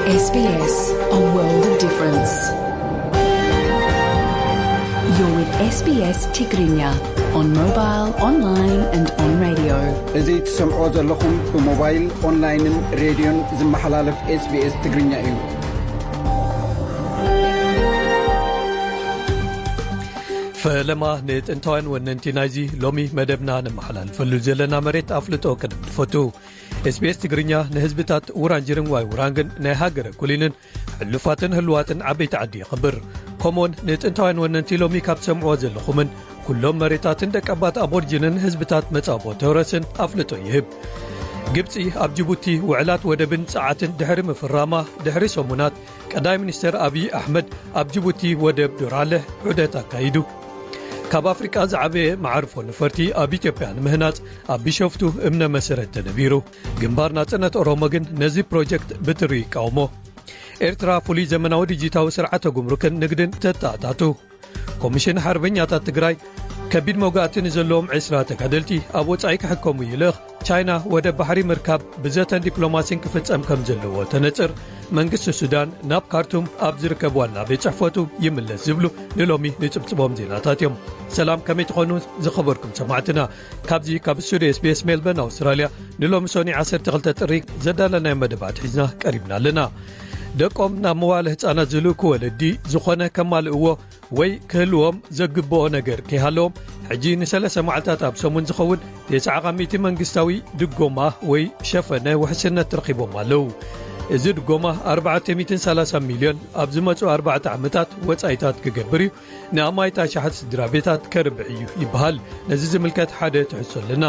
S B S, a world of difference. You're with S B S Tigrinya on mobile, online and on radio. እዚ ትሰምዖ ዘለኹም ብሞባይል፣ ኦንላይንን ሬድዮን ዝመሓላለፍ SBS ትግርኛ እዩ። ፈለማ ንጥንታውያን ወነንቲ ናይዚ ሎሚ መደብና ነመሓላልፈሉ ዘለና መሬት ኣፍልጦ ቅድም ንፈቱ። SBS ትግርኛ ንህዝብታት ውራንጅርን ዋይ ውራንግን ናይ ሃገረ ኩሊንን ሕሉፋትን ህልዋትን ዓበይቲ ዓዲ የኽብር። ከምኡውን ንጥንታውያን ወነንቲ ሎሚ ካብ ትሰምዕዎ ዘለኹምን ኩሎም መሬታትን ደቀባት ኣቦርጅንን ህዝብታት መጻቦ ተውረስን ኣፍልጦ ይህብ። ግብጺ ኣብ ጅቡቲ ውዕላት ወደብን ጸዓትን ድሕሪ ምፍራማ ድሕሪ ሰሙናት ቀዳማይ ሚኒስተር ኣብይ ኣሕመድ ኣብ ጅቡቲ ወደብ ዶራለ ዑደት ኣካይዱ። ካብ ኣፍሪቃ ዝዓበየ መዓርፎ ነፈርቲ ኣብ ኢትዮጵያ ንምህናጽ ኣብ ቢሾፍቱ እምነ መሰረት ተነቢሩ። ግንባር ናጽነት ኦሮሞ ግን ነዚ ፕሮጀክት ብትሪ ይቃወሞ። ኤርትራ ፍሉይ ዘመናዊ ዲጂታዊ ስርዓተ ጉምሩክን ንግድን ተተኣታቱ። ኮሚሽን ሓርበኛታት ትግራይ ከቢድ መውጋእቲ ንዘለዎም ዕስራ ተጋደልቲ ኣብ ወጻኢ ክሕከሙ ይልእኽ። ቻይና ወደብ ባሕሪ ምርካብ ብዘተን ዲፕሎማሲን ክፍጸም ከም ዘለዎ ተነጽር። መንግስቲ ሱዳን ናብ ካርቱም ኣብ ዝርከብ ዋና ቤት ጽሕፈቱ ይምለስ ዝብሉ ንሎሚ ንጽብጽቦም ዜናታት እዮም። ሰላም፣ ከመይ ትኾኑ ዝኸበርኩም ሰማዕትና? ካብዚ ካብ ስቱዲዮ SBS ሜልበርን ኣውስትራልያ ንሎሚ ሶኒ ዓሰርተ ክልተ ጥሪ ዘዳለናዮ መደባት ሒዝና ቀሪብና ኣለና። ደቆም ናብ መዋለ ህጻናት ዝልእኩ ወለዲ ዝኾነ ከማልእዎ ወይ ክህልዎም ዘግብኦ ነገር ከይሃለዎም፣ ሕጂ ንሰለስተ መዓልታት ኣብ ሰሙን ዝኸውን ተስዓ ካብ ሚእቲ መንግስታዊ ድጎማ ወይ ሸፈነ ውሕስነት ረኺቦም ኣለዉ። እዚ ድጎማ ኣርባዕተ ሚእትን ሰላሳን ሚልዮን ኣብ ዝመጹ ኣርባዕተ ዓመታት ወጻኢታት ክገብር እዩ። ንኣማኢት ኣሽሓት ስድራ ቤታት ከርብሕ እዩ ይበሃል። ነዚ ዝምልከት ሓደ ትሕዝቶ ኣለና።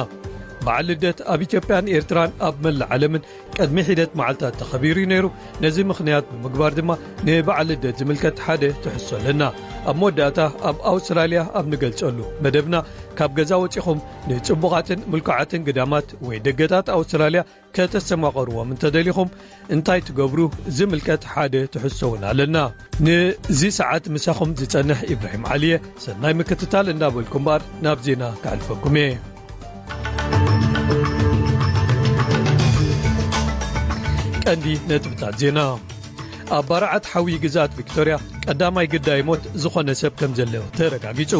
በዓል ልደት ኣብ ኢትዮጵያን ኤርትራን ኣብ መላእ ዓለምን ቅድሚ ሒደት መዓልታት ተኸቢሩ እዩ ነይሩ። ነዚ ምኽንያት ብምግባር ድማ ንበዓል ልደት ዝምልከት ሓደ ትሕዝቶ ኣለና። ኣብ መወዳእታ ኣብ ኣውስትራልያ ኣብ ንገልጸሉ መደብና፣ ካብ ገዛ ወጺኹም ንጽቡቓትን ምልኩዓትን ግዳማት ወይ ደገታት ኣውስትራልያ ከተስተማቐርዎም እንተደሊኹም እንታይ ትገብሩ ዝምልከት ሓደ ትሕዝቶ እውን ኣለና። ንዚ ሰዓት ምሳኹም ዝጸንሕ ኢብራሂም ዓሊ እየ። ሰናይ ምክትታል እንዳበልኩም እምበኣር ናብ ዜና ከሕልፈኩም እየ። ቀንዲ ነጥብታት ዜና። ኣብ ባርዓት ሓዊ ግዝኣት ቪክቶርያ ቀዳማይ ግዳይ ሞት ዝኾነ ሰብ ከም ዘሎ ተረጋጊጹ።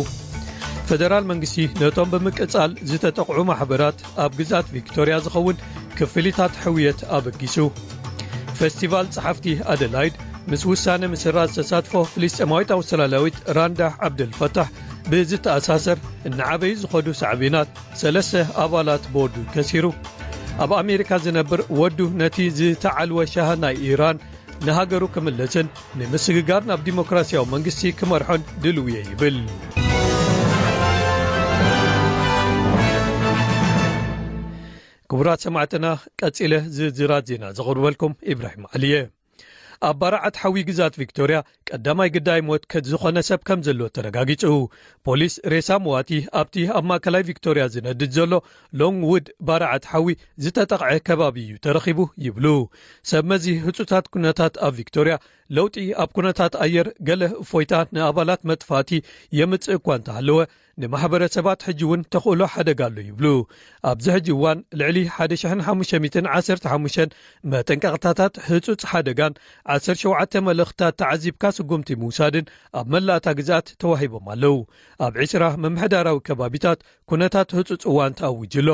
ፈደራል መንግስቲ ነቶም ብምቅጻል ዝተጠቕዑ ማሕበራት ኣብ ግዝኣት ቪክቶርያ ዝኸውን ክፍሊታት ሕውየት ኣበጊሱ። ፈስቲቫል ጸሓፍቲ ኣደላይድ ምስ ውሳነ ምስራዝ ተሳትፎ ፍልስጤማዊት ኣውስትራልያዊት ራንዳ ዓብደልፈታሕ ብዝተኣሳሰር እናዓበዩ ዝኸዱ ሳዕቤናት ሰለስተ ኣባላት ቦርዱ ከሲሩ። ኣብ ኣሜሪካ ዝነብር ወዱ ነቲ ዝተዓልወ ሻህ ናይ ኢራን ንሃገሩ ክምለስን ንምስግጋር ናብ ዲሞክራሲያዊ መንግስቲ ክመርሖን ድልው እየ ይብል። ክቡራት ሰማዕትና፣ ቀጺለ ዝርዝራት ዜና ዘቕርበልኩም ኢብራሂም ዓሊ እየ። ኣብ ባርዓት ሓዊ ግዝኣት ቪክቶርያ ቀዳማይ ግዳይ ሞት ከ-፣ ዝኾነ ሰብ ከም ዘሎ ተረጋጊጹ። ፖሊስ ሬሳ መዋቲ ኣብቲ ኣብ ማእከላይ ቪክቶርያ ዝነድድ ዘሎ ሎንግውድ ባርዓት ሓዊ ዝተጠቕዐ ከባቢ እዩ ተረኺቡ ይብሉ። ሰብ መዚ ህጹታት ኩነታት ኣብ ቪክቶርያ ለውጢ ኣብ ኩነታት ኣየር ገለ እፎይታ ንኣባላት መጥፋእቲ የምጽእ እኳ እንተሃለወ፣ ንማሕበረሰባት ሕጂ እውን ተኽእሎ ሓደጋ ኣሎ ይብሉ። ኣብዚ ሕጂ እዋን ልዕሊ ሓደ ሽሕን ሓሙሽተ ሚእትን ዓሰርተ ሓሙሽተን መጠንቀቕታታት ህጹጽ ሓደጋን ዓሰርተ ሸውዓተ መልእኽትታት ተዓዚብካ ስጉምቲ ምውሳድን ኣብ መላእታ ግዝኣት ተዋሂቦም ኣለዉ። ኣብ ዕስራ ምምሕዳራዊ ከባቢታት ኩነታት ህጹጽ እዋን ተኣዊጁ ኣሎ።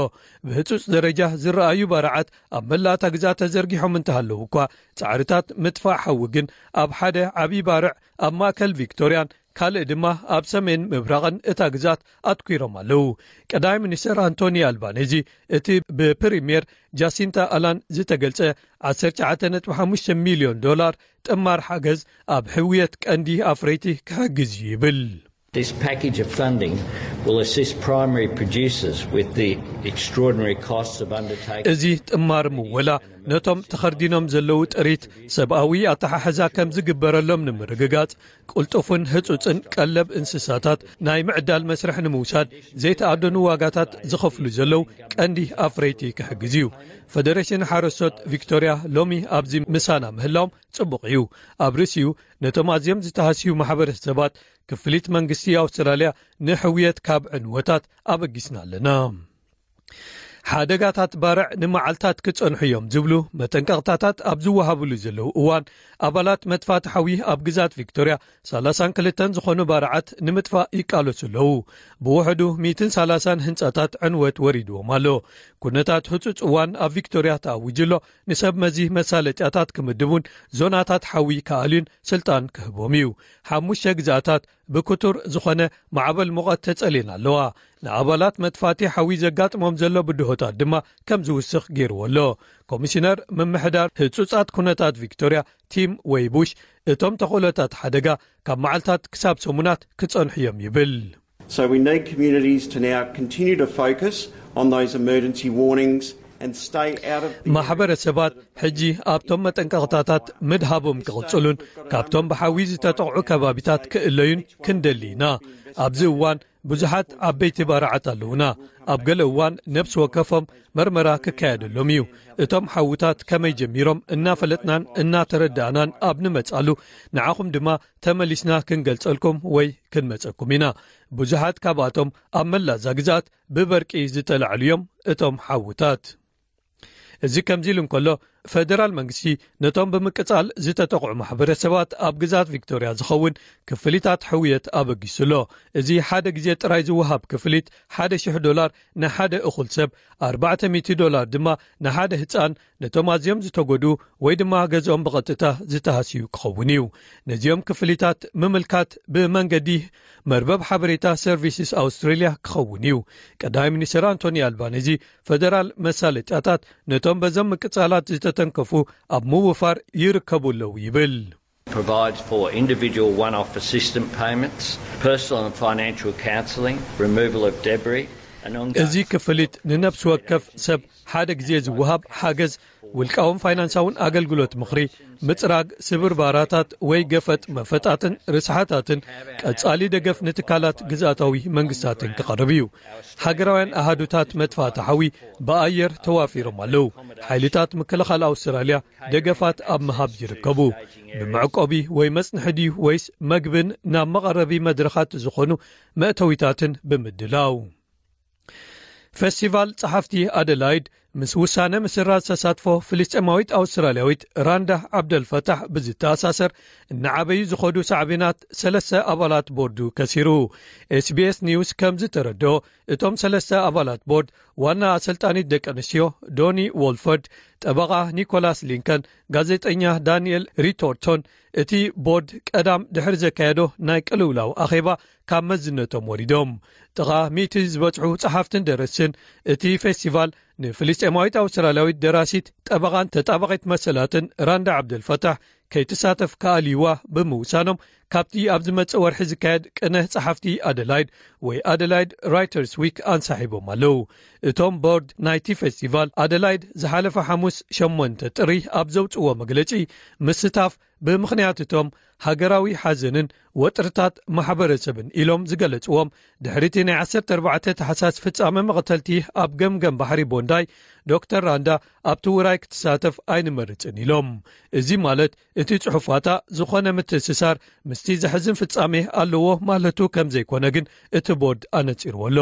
ብህጹጽ ደረጃ ዝረኣዩ ባርዓት ኣብ መላእታ ግዝኣት ተዘርጊሖም እንተሃለዉ እኳ፣ ጻዕርታት ምጥፋእ ሓዊ ግን ኣብ ሓደ ዓቢ ባርዕ ኣብ ማእከል ቪክቶርያን ካልእ ድማ ኣብ ሰሜን ምብራቕን እታ ግዝኣት ኣትኲሮም ኣለዉ። ቀዳማይ ሚኒስተር ኣንቶኒ ኣልባኔዚ፣ እቲ ብፕሪምየር ጃሲንታ ኣላን ዝተገልጸ ዓሰርተ ትሽዓተ ነጥቢ ሓሙሽተ ሚልዮን ዶላር ጥማር ሓገዝ ኣብ ሕውየት ቀንዲ ኣፍረይቲ ክሕግዝ እዩ ይብል። This package of funding will assist primary producers with the extraordinary costs of undertaking እዚ ጥማር ምወላ ነቶም ተኸርዲኖም ዘለዉ ጥሪት ሰብኣዊ ኣተሓሕዛ ከም ዝግበረሎም ንምርግጋጽ፣ ቅልጡፍን ህጹጽን ቀለብ እንስሳታት ናይ ምዕዳል መስርሕ ንምውሳድ ዘይተኣደኑ ዋጋታት ዝኸፍሉ ዘለዉ ቀንዲ ኣፍረይቲ ክሕግዝ እዩ። ፈደሬሽን ሓረስቶት ቪክቶርያ ሎሚ ኣብዚ ምሳና ምህላዎም ጽቡቕ እዩ። ኣብ ርእሲኡ ነቶም ኣዝዮም ዝተሃስዩ ማሕበረሰባት ክፍሊት መንግስቲ ኣውስትራልያ ንሕውየት ካብ ዕንወታት ኣበጊስና ኣለና። ሓደጋታት ባርዕ ንመዓልታት ክጸንሑ እዮም ዝብሉ መጠንቀቕታታት ኣብ ዝወሃብሉ ዘለዉ እዋን፣ ኣባላት መጥፋእቲ ሓዊ ኣብ ግዛት ቪክቶርያ ሰላሳን ክልተን ዝኾኑ ባርዓት ንምጥፋእ ይቃለሱ ኣለዉ። ብውሕዱ ሚእትን ሰላሳን ህንጻታት ዕንወት ወሪድዎም ኣሎ። ኩነታት ህጹጽ እዋን ኣብ ቪክቶርያ ተኣዊጁ ኣሎ። ንሰብ መዚ መሳለጥያታት ክምድቡን ዞናታት ሓዊ ክኣልዩን ስልጣን ክህቦም እዩ። ሓሙሽተ ግዛታት ብክቱር ዝኾነ ማዕበል ሙቐት ተጸልየን ኣለዋ። ንኣባላት መጥፋእቲ ሓዊ ዘጋጥሞም ዘሎ ብድሆታት ድማ ከም ዝውስኽ ገይርዎ ኣሎ። ኮሚሽነር ምምሕዳር ህጹጻት ኩነታት ቪክቶርያ ቲም ዌይቡሽ፣ እቶም ተኽእሎታት ሓደጋ ካብ መዓልታት ክሳብ ሰሙናት ክጸንሑ እዮም ይብል። So we need communities to now continue to focus on those emergency warnings and stay out of the ማሕበረሰባት ሕጂ ኣብቶም መጠንቀቕታታት ምድሃቦም ክቕጽሉን ካብቶም ብሓዊ ዝተጠቕዑ ከባቢታት ክእለዩን ክንደሊ ኢና። ኣብዚ እዋን ብዙሓት ዓበይቲ ባርዓት ኣለዉና። ኣብ ገለ እዋን ነብሲ ወከፎም መርመራ ክካየደሎም እዩ። እቶም ሓውታት ከመይ ጀሚሮም እናፈለጥናን እናተረዳእናን ኣብ ንመጻሉ፣ ንዓኹም ድማ ተመሊስና ክንገልጸልኩም ወይ ክንመጸኩም ኢና። ብዙሓት ካብኣቶም ኣብ መላእ እዛ ግዝኣት ብበርቂ ዝተላዕሉ እዮም። እቶም ሓውታት፣ እዚ ከምዚ ኢሉ እንከሎ፣ ፈደራል መንግስቲ ነቶም ብምቅጻል ዝተጠቕዑ ማሕበረሰባት ኣብ ግዛት ቪክቶርያ ዝኸውን ክፍሊታት ሕውየት ኣበጊሱ ኣሎ። እዚ ሓደ ግዜ ጥራይ ዝወሃብ ክፍሊት ሓደ ሽሕ ዶላር ንሓደ እኹል ሰብ፣ ኣርባዕተ ሚእቲ ዶላር ድማ ንሓደ ህጻን፣ ነቶም ኣዝዮም ዝተጎድኡ ወይ ድማ ገዝኦም ብቐጥታ ዝተሃስዩ ክኸውን እዩ። ነዚኦም ክፍሊታት ምምልካት ብመንገዲ መርበብ ሓበሬታ ሰርቪስስ ኣውስትሬልያ ክኸውን እዩ። ቀዳማይ ሚኒስትር ኣንቶኒ ኣልባኒዚ፣ ፈደራል መሳለጥያታት ነቶም በዞም ምቅጻላት ዝተተንከፉ ኣብ ምውፋር ይርከቡ ኣለዉ ይብል። Provides for individual one-off assistance payments, personal and financial counselling, removal of debris, and ongoing እዚ ክፍሊት ንነብሲ ወከፍ ሰብ ሓደ ግዜ ዝወሃብ ሓገዝ፣ ውልቃውን ፋይናንሳውን ኣገልግሎት ምኽሪ፣ ምጽራግ ስብርባራታት ወይ ገፈጥ መፈጣትን ርስሓታትን፣ ቀጻሊ ደገፍ ንትካላት ግዝኣታዊ መንግስታትን ክቐርብ እዩ። ሃገራውያን ኣሃዱታት መጥፋእቲ ሓዊ ብኣየር ተዋፊሮም ኣለዉ። ሓይልታት ምክልኻል ኣውስትራልያ ደገፋት ኣብ ምሃብ ይርከቡ። ብመዕቆቢ ወይ መጽንሒ ድዩ ወይስ መግብን ናብ መቐረቢ መድረኻት ዝኾኑ መእተዊታትን ብምድላው። ፈስቲቫል ጸሓፍቲ ኣደላይድ ምስ ውሳነ ምስራዝ ተሳትፎ ፍልስጤማዊት ኣውስትራልያዊት ራንዳ ዓብደልፈታሕ ብዝተኣሳሰር፣ እናዓበዩ ዝኸዱ ሳዕቤናት ሰለስተ ኣባላት ቦርዱ ከሲሩ። ኤስቢኤስ ኒውስ ከም ዝተረድኦ፣ እቶም ሰለስተ ኣባላት ቦርድ፣ ዋና ኣሰልጣኒት ደቂ ኣንስትዮ ዶኒ ዎልፈርድ፣ ጠበቓ ኒኮላስ ሊንከን፣ ጋዜጠኛ ዳንኤል ሪቶርቶን፣ እቲ ቦርድ ቀዳም ድሕሪ ዘካየዶ ናይ ቅልውላው ኣኼባ ካብ መዝነቶም ወሪዶም። ጥቓ ሚእቲ ዝበጽሑ ጸሓፍትን ደረስትን፣ እቲ ፌስቲቫል ንፍልስጤማዊት ኣውስትራልያዊት ደራሲት፣ ጠበቓን ተጣባቒት መሰላትን ራንዳ ዓብደልፈታሕ ከይትሳተፍ ክኣልይዋ ብምውሳኖም፣ ካብቲ ኣብ ዝመጽእ ወርሒ ዝካየድ ቅነ ጸሓፍቲ ኣደላይድ ወይ ኣደላይድ ራይተርስ ዊክ ኣንሳሒቦም ኣለዉ። እቶም ቦርድ ናይቲ ፌስቲቫል ኣደላይድ ዝሓለፈ ሓሙስ ሸሞንተ ጥሪ ኣብ ዘውጽእዎ መግለጺ፣ ምስታፍ ብምኽንያት እቶም ሃገራዊ ሓዘንን ወጥርታት ማሕበረሰብን ኢሎም ዝገለጽዎም፣ ድሕሪቲ ናይ ዓሰርተ ኣርባዕተ ታሕሳስ ፍጻመ መቕተልቲ ኣብ ገምገም ባሕሪ ቦንዳይ፣ ዶክተር ራንዳ ኣብቲ ውራይ ክትሳተፍ ኣይንመርጽን ኢሎም። እዚ ማለት እቲ ጽሑፋታ ዝኾነ ምትእስሳር ምስቲ ዘሕዝን ፍጻሜ ኣለዎ ማለቱ ከም ዘይኮነ ግን እቲ ቦርድ ኣነጺርዎ ኣሎ።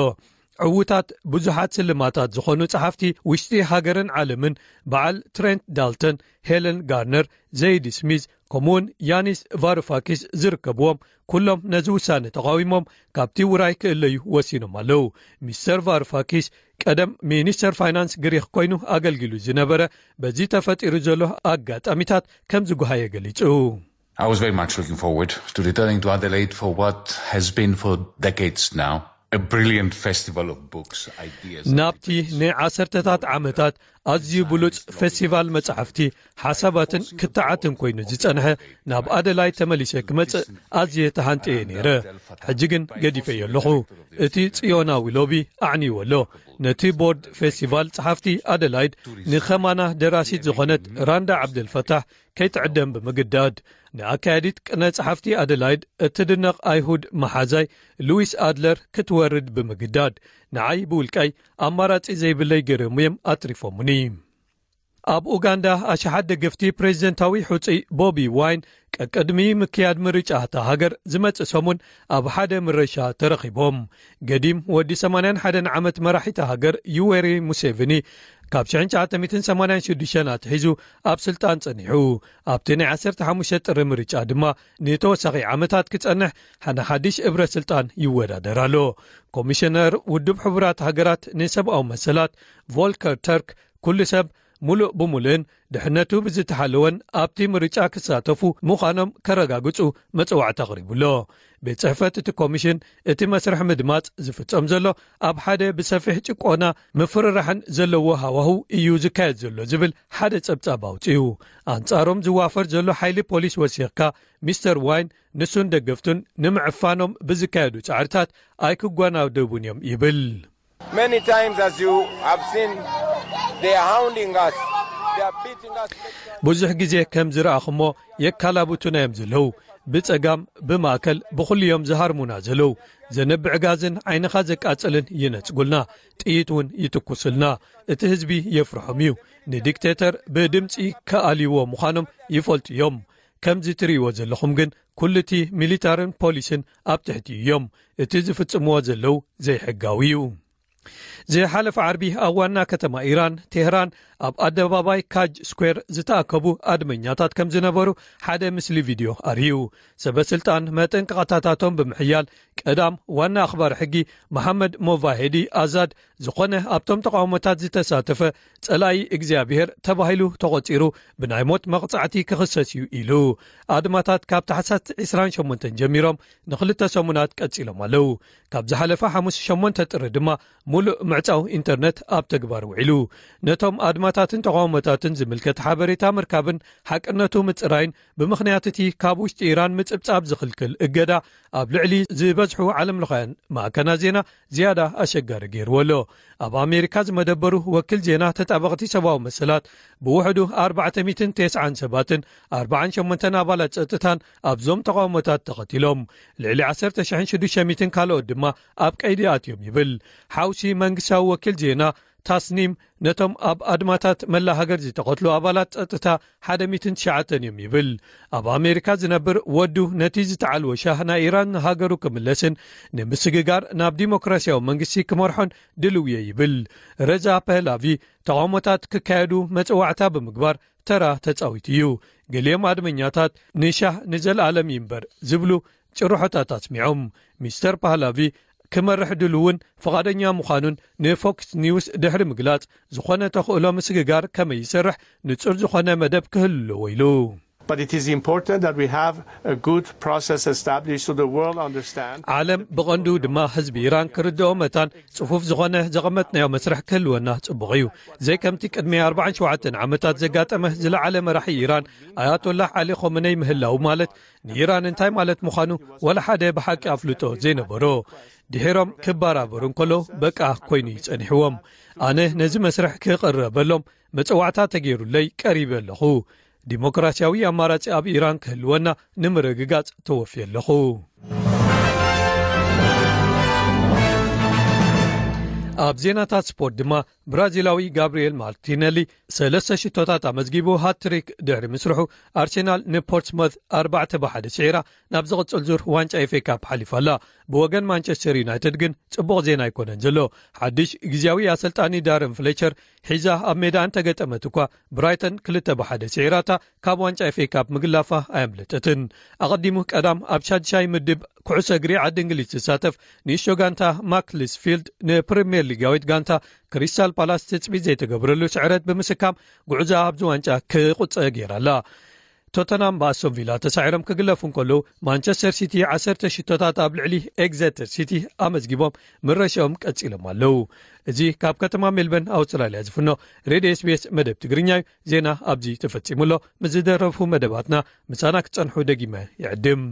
ዕዉታት ብዙሓት ስልማታት ዝኾኑ ጸሓፍቲ ውሽጢ ሃገርን ዓለምን፣ በዓል ትሬንት ዳልተን፣ ሄለን ጋርነር፣ ዘይድ ስሚዝ፣ ከምኡውን ያኒስ ቫሩፋኪስ ዝርከብዎም፣ ኩሎም ነዚ ውሳነ ተቓዊሞም ካብቲ ውራይ ክእለዩ ወሲኖም ኣለዉ። ሚስተር ቫሩፋኪስ ቀደም ሚኒስተር ፋይናንስ ግሪኽ ኮይኑ ኣገልጊሉ ዝነበረ፣ በዚ ተፈጢሩ ዘሎ ኣጋጣሚታት ከም ዝጓሃየ ገሊጹ። I was very much looking forward to returning to Adelaide for what has been for decades now a brilliant festival of books, ideas. ናብቲ ንዓሰርተታት ዓመታት ኣዝዩ ብሉጽ ፌስቲቫል መጻሕፍቲ፣ ሓሳባትን ክትዓትን ኮይኑ ዝጸንሐ ናብ ኣደላይ ተመሊሰ ክመጽእ ኣዝየ ተሃንጠየ ነይረ። ሕጂ ግን ገዲፈዮ ኣለኹ። እቲ ጽዮናዊ ሎቢ ኣዕንይዎ ኣሎ። ነቲ ቦርድ ፌስቲቫል ጸሓፍቲ ኣደላይድ ንኸማና ደራሲት ዝኾነት ራንዳ ዓብደልፈታሕ ከይትዕደም ብምግዳድ፣ ንኣካያዲት ቅነ ጸሓፍቲ ኣደላይድ እትድነቕ ኣይሁድ መሓዛይ ሉዊስ ኣድለር ክትወርድ ብምግዳድ፣ ንዓይ ብውልቃይ ኣማራጺ ዘይብለይ ገይሮም እዮም ኣትሪፎሙኒ። ኣብ ኡጋንዳ ኣሽሓት ደገፍቲ ፕሬዚደንታዊ ሕጹይ ቦቢ ዋይን ቀቅድሚ ምክያድ ምርጫ እታ ሃገር ዝመጽእ ሰሙን ኣብ ሓደ ምረሻ ተረኺቦም። ገዲም ወዲ ሰማንያን ሓደን ዓመት መራሒታ ሃገር ዩዌሪ ሙሴቪኒ ካብ ሽሕን ትሽዓተ ሚእትን ሰማንያን ሽዱሽተን ኣትሒዙ ኣብ ስልጣን ጸኒሑ። ኣብቲ ናይ ዓሰርተ ሓሙሽተ ጥሪ ምርጫ ድማ ንተወሳኺ ዓመታት ክጸንሕ ሓነ ሓድሽ እብረ ስልጣን ይወዳደር ኣሎ። ኮሚሽነር ውድብ ሕቡራት ሃገራት ንሰብኣዊ መሰላት ቮልከር ተርክ፣ ኩሉ ሰብ ሙሉእ ብሙሉእን ድሕነቱ ብዝተሓለወን ኣብቲ ምርጫ ክሳተፉ ምዃኖም ከረጋግጹ መጽዋዕታ ኣቕሪቡ ኣሎ። ቤት ጽሕፈት እቲ ኮሚሽን፣ እቲ መስርሕ ምድማጽ ዝፍጸም ዘሎ ኣብ ሓደ ብሰፊሕ ጭቆና ምፍርራሕን ዘለዎ ሃዋህው እዩ ዝካየድ ዘሎ ዝብል ሓደ ጸብጻብ ኣውጺኡ። ኣንጻሮም ዝዋፈር ዘሎ ሓይሊ ፖሊስ ወሲኽካ፣ ሚስተር ዋይን ንሱን ደገፍቱን ንምዕፋኖም ብዝካየዱ ጻዕርታት ኣይክጓናደቡን እዮም ይብል። Many times, as you have seen, they are hounding us, they are beating us. ብዙሕ ግዜ ከም ዝረኣኹሞ የካላብቱና እዮም ዘለዉ። ብጸጋም፣ ብማእከል፣ ብኹሉ እዮም ዝሃርሙና ዘለዉ። ዘንብዕ ጋዝን ዓይንኻ ዘቃጽልን ይነጽጉልና፣ ጥይት እውን ይትኩስልና። እቲ ህዝቢ የፍርሖም እዩ። ንዲክቴተር ብድምጺ ክኣልይዎ ምዃኖም ይፈልጡ እዮም። ከምዚ ትርእይዎ ዘለኹም ግን ኩሉ እቲ ሚሊታርን ፖሊስን ኣብ ትሕቲ እዮም። እቲ ዝፍጽምዎ ዘለዉ ዘይሕጋዊ እዩ። ዝሓለፈ ዓርቢ ኣብ ዋና ከተማ ኢራን ቴህራን ኣብ ኣደባባይ ካጅ ስኩዌር ዝተኣከቡ ኣድመኛታት ከም ዝነበሩ ሓደ ምስሊ ቪድዮ ኣርእዩ። ሰበ ስልጣን መጠንቀቕታታቶም ብምሕያል ቀዳም ዋና ኣኽባሪ ሕጊ መሓመድ ሞቫሄዲ ኣዛድ ዝኾነ ኣብቶም ተቃውሞታት ዝተሳተፈ ጸላኢ እግዚኣብሔር ተባሂሉ ተቖጺሩ ብናይ ሞት መቕጻዕቲ ክኽሰስ እዩ ኢሉ። ኣድማታት ካብ ታሕሳስ ዕስራን ሸሞንተን ጀሚሮም ንኽልተ ሰሙናት ቀጺሎም ኣለዉ። ካብ ዝሓለፈ ሓሙስ ሸሞንተ ጥሪ ድማ ሙሉእ ምዕጻው ኢንተርነት ኣብ ተግባር ውዒሉ። ነቶም ኣድማታትን ተቃውሞታትን ዝምልከት ሓበሬታ ምርካብን ሓቅነቱ ምጽራይን ብምኽንያት እቲ ካብ ውሽጢ ኢራን ምጽብጻብ ዝኽልክል እገዳ ኣብ ልዕሊ ዝበዝሑ ዓለምለኻውያን ማዕከናት ዜና ዝያዳ ኣሸጋሪ ገይርዎ ኣሎ። ኣብ ኣሜሪካ ዝመደበሩ ወኪል ዜና ተጣበቕቲ ሰብኣዊ መሰላት ብውሕዱ ኣርባዕተ ሚእትን ተስዓን ሰባትን ኣርባዓን ሸሞንተን ኣባላት ጸጥታን ኣብዞም ተቃውሞታት ተቐቲሎም። ልዕሊ ዓሰርተ ሽሕን ሽዱሽተ ሚእትን ካልኦት ድማ ኣብ ቀይዲ ኣትዮም ይብል። ሓውሲ መንግስታዊ ወኪል ዜና ታስኒም ነቶም ኣብ ኣድማታት መላ ሃገር ዝተቐትሉ ኣባላት ጸጥታ ሓደ ሚእትን ትሽዓተን እዮም ይብል። ኣብ ኣሜሪካ ዝነብር ወዱ ነቲ ዝተዓልወ ሻህ ናይ ኢራን ንሃገሩ ክምለስን ንምስግጋር ናብ ዲሞክራሲያዊ መንግስቲ ክመርሖን ድልው እየ ይብል። ረዛ ፐህላቪ ተቃውሞታት ክካየዱ መጽዋዕታ ብምግባር ተራ ተጻዊቱ እዩ። ገሊኦም ኣድመኛታት ንሻህ ንዘለኣለም ይንበር ዝብሉ ጭርሖታት ኣስሚዖም። ሚስተር ፓህላቪ ክመርሕ ድልውን ፍቓደኛ ምዃኑን ንፎክስ ኒውስ ድሕሪ ምግላጽ፣ ዝኾነ ተኽእሎ ምስግጋር ከመይ ይሰርሕ ንጹር ዝኾነ መደብ ክህሉ ኣለዎ ኢሉ። But it is important that we have a good process established so the world understand. ዓለም ብቐንዱ ድማ ህዝቢ ኢራን ክርድኦ መታን ጽፉፍ ዝኾነ ዘቐመጥናዮ መስርሕ ክህልወና ጽቡቕ እዩ። ዘይከምቲ ቅድሚ ኣርባዓን ሸውዓተን ዓመታት ዘጋጠመ ዝለዓለ መራሒ ኢራን ኣያቶላህ ዓሊ ኾመነይ ምህላው ማለት ንኢራን እንታይ ማለት ምዃኑ ወላ ሓደ ብሓቂ ኣፍልጦ ዘይነበሮ። ድሒሮም ክበራበሩ እንከሎ በቃ ኮይኑ ይጸኒሕዎም። ኣነ ነዚ መስርሕ ክቕረበሎም መጽዋዕታ ተገይሩለይ ቀሪበ ኣለኹ። ዲሞክራሲያዊ ኣማራጺ ኣብ ኢራን ክህልወና ንምርግጋጽ ተወፍየ ኣለኹ። ኣብ ዜናታት ስፖርት ድማ ብራዚላዊ ጋብሪኤል ማርቲነሊ ሰለስተ ሽቶታት ኣመዝጊቡ ሃትሪክ ድሕሪ ምስርሑ ኣርሴናል ንፖርትስሞት ኣርባዕተ ብሓደ ስዒራ ናብ ዝቕጽል ዙር ዋንጫ ኤፍ ኤ ካፕ ሓሊፋ ኣላ። ብወገን ማንቸስተር ዩናይትድ ግን ጽቡቕ ዜና ኣይኮነን ዘሎ። ሓድሽ ግዝያዊ ኣሰልጣኒ ዳረን ፍሌቸር ሒዛ ኣብ ሜዳ እንተገጠመት እኳ ብራይተን ክልተ ብሓደ ስዒራታ ካብ ዋንጫ ኤፍ ኤ ካፕ ምግላፋ ኣየምለጠትን። ኣቐዲሙ ቀዳም ኣብ ሻድሻይ ምድብ ኩዕሶ እግሪ ዓዲ እንግሊዝ ዝሳተፍ ንእሽቶ ጋንታ ማክልስፊልድ ንፕሪምየር ሊጋዊት ጋንታ ክሪስታል ፓላስ ትጽቢት ዘይተገብረሉ ስዕረት ብምስካም ጉዕዞ ኣብዚ ዋንጫ ክቑጸ ገይራ ኣላ። ቶተናም ብኣስቶን ቪላ ተሳዒሮም ክግለፉ እንከለዉ ማንቸስተር ሲቲ ዓሰርተ ሽቶታት ኣብ ልዕሊ ኤግዘተር ሲቲ ኣመዝጊቦም ምረሻኦም ቀጺሎም ኣለዉ። እዚ ካብ ከተማ ሜልበርን ኣውስትራልያ ዝፍኖ ሬድዮ ኤስ ቢ ኤስ መደብ ትግርኛ እዩ። ዜና ኣብዚ ተፈጺሙ ኣሎ። ምስ ዝደረፉ መደባትና ምሳና ክትጸንሑ ደጊመ ይዕድም።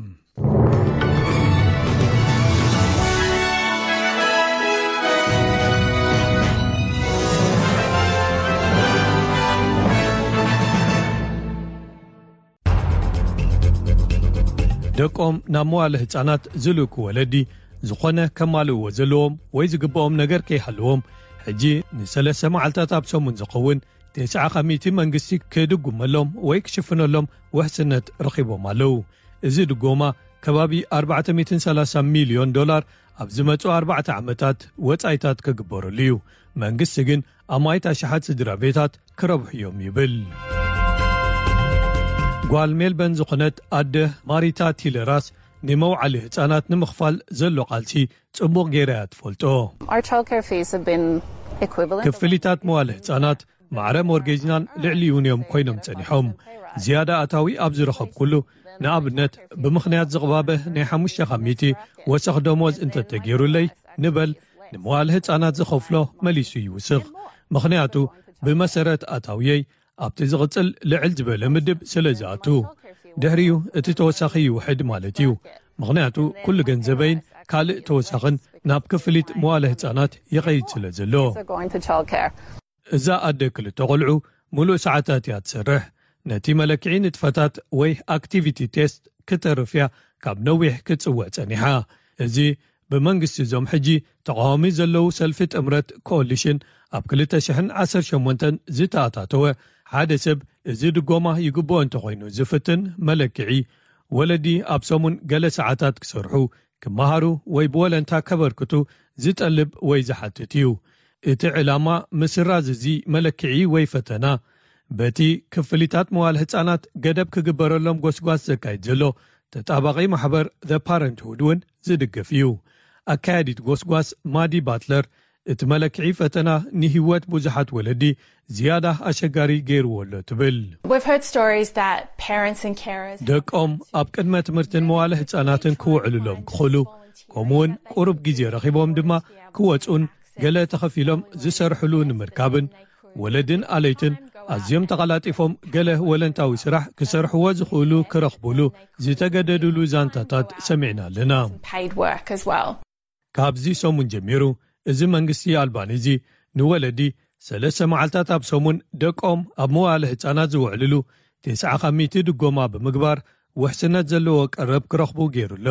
ደቆም ናብ መዋለ ህጻናት ዝልእኩ ወለዲ ዝኾነ ከማልእዎ ዘለዎም ወይ ዝግብኦም ነገር ከይሃለዎም ሕጂ ንሰለስተ መዓልታት ኣብ ሰሙን ዝኸውን ተስዓ ካብ ሚእቲ መንግስቲ ክድጉመሎም ወይ ክሽፍነሎም ውሕስነት ረኺቦም ኣለዉ። እዚ ድጎማ ከባቢ ኣርባዕተ ሚእትን ሰላሳ ሚልዮን ዶላር ኣብ ዝመጹ ኣርባዕተ ዓመታት ወጻኢታት ክግበረሉ እዩ። መንግስቲ ግን ኣማይት ኣሽሓት ስድራ ቤታት ክረብሑ እዮም ይብል። ጓል ሜልበን ዝኾነት ኣደ ማሪታ ቲለራስ ንመውዓሊ ህጻናት ንምኽፋል ዘሎ ቃልሲ ጽቡቕ ጌራ እያ ትፈልጦ። Our childcare fees have been equivalent. ክፍሊታት መዋለ ህጻናት ማዕረ ሞርጌጅናን ልዕሊኡን እዮም ኮይኖም ጸኒሖም። ዝያዳ ኣታዊ ኣብ ዝረኸብኩሉ፣ ንኣብነት ብምኽንያት ዝቕባበ ናይ ሓሙሽተ ካብ ሚእቲ ወሰኽ ደሞዝ እንተተገይሩለይ ንበል፣ ንመዋለ ህጻናት ዝኸፍሎ መሊሱ ይውስኽ። ምኽንያቱ ብመሰረት ኣታውየይ ኣብቲ ዝቕጽል ልዕል ዝበለ ምድብ ስለ ዝኣቱ። ድሕሪኡ እቲ ተወሳኺ ይውሕድ ማለት እዩ። ምኽንያቱ ኩሉ ገንዘበይን ካልእ ተወሳኽን ናብ ክፍሊት መዋለ ህጻናት ይኸይድ ስለ ዘሎ። Are going to childcare. እዛ ኣደ ክልተ ቆልዑ ሙሉእ ሰዓታት እያ ትሰርሕ። ነቲ መለክዒ ንጥፈታት ወይ ኣክቲቪቲ ቴስት ክተርፍ እያ ካብ ነዊሕ ክትጽውዕ ጸኒሓ። እዚ ብመንግስቲ እዞም ሕጂ ተቃዋሚ ዘለዉ ሰልፊ ጥምረት ኮሊሽን ኣብ ክልተ ሽሕን ዓሰርተ ሸሞንተን ዝተኣታተወ ሓደ ሰብ እዚ ድጎማ ይግብኦ እንተኾይኑ ዝፍትን መለክዒ፣ ወለዲ ኣብ ሰሙን ገለ ሰዓታት ክሰርሑ፣ ክመሃሩ ወይ ብወለንታ ከበርክቱ ዝጠልብ ወይ ዝሓትት እዩ። እቲ ዕላማ ምስራዝ እዚ መለክዒ ወይ ፈተና በቲ ክፍሊታት መዋል ህጻናት ገደብ ክግበረሎም ጎስጓስ ዘካይድ ዘሎ ተጣባቂ ማሕበር The Parenthood እውን ዝድግፍ እዩ። ኣካያዲት ጎስጓስ ማዲ ባትለር እቲ መለክዒ ፈተና ንህይወት ብዙሓት ወለዲ ዝያዳ ኣሸጋሪ ገይርዎ ኣሎ ትብል። We've heard stories that parents and carers ደቆም ኣብ ቅድመ ትምህርትን መዋለ ህጻናትን ክውዕሉሎም ክኽእሉ፣ ከምኡውን ቁሩብ ግዜ ረኺቦም ድማ ክወጹን ገለ ተኸፊሎም ዝሰርሕሉ ንምርካብን፣ ወለድን ኣለይትን ኣዝዮም ተቐላጢፎም ገለ ወለንታዊ ስራሕ ክሰርሕዎ ዝኽእሉ ክረኽቡሉ ዝተገደዱሉ ዛንታታት ሰሚዕና ኣለና። Paid work as well. ካብዚ ሰሙን ጀሚሩ፣ እዚ መንግስቲ ኣልባኒዚ ንወለዲ ሰለስተ መዓልታት ኣብ ሰሙን ደቆም ኣብ መዋለ ህጻናት ዝውዕልሉ ተስዓ ካብ ሚእቲ ድጎማ ብምግባር ውሕስነት ዘለዎ ቀረብ ክረኽቡ ገይሩ ኣሎ።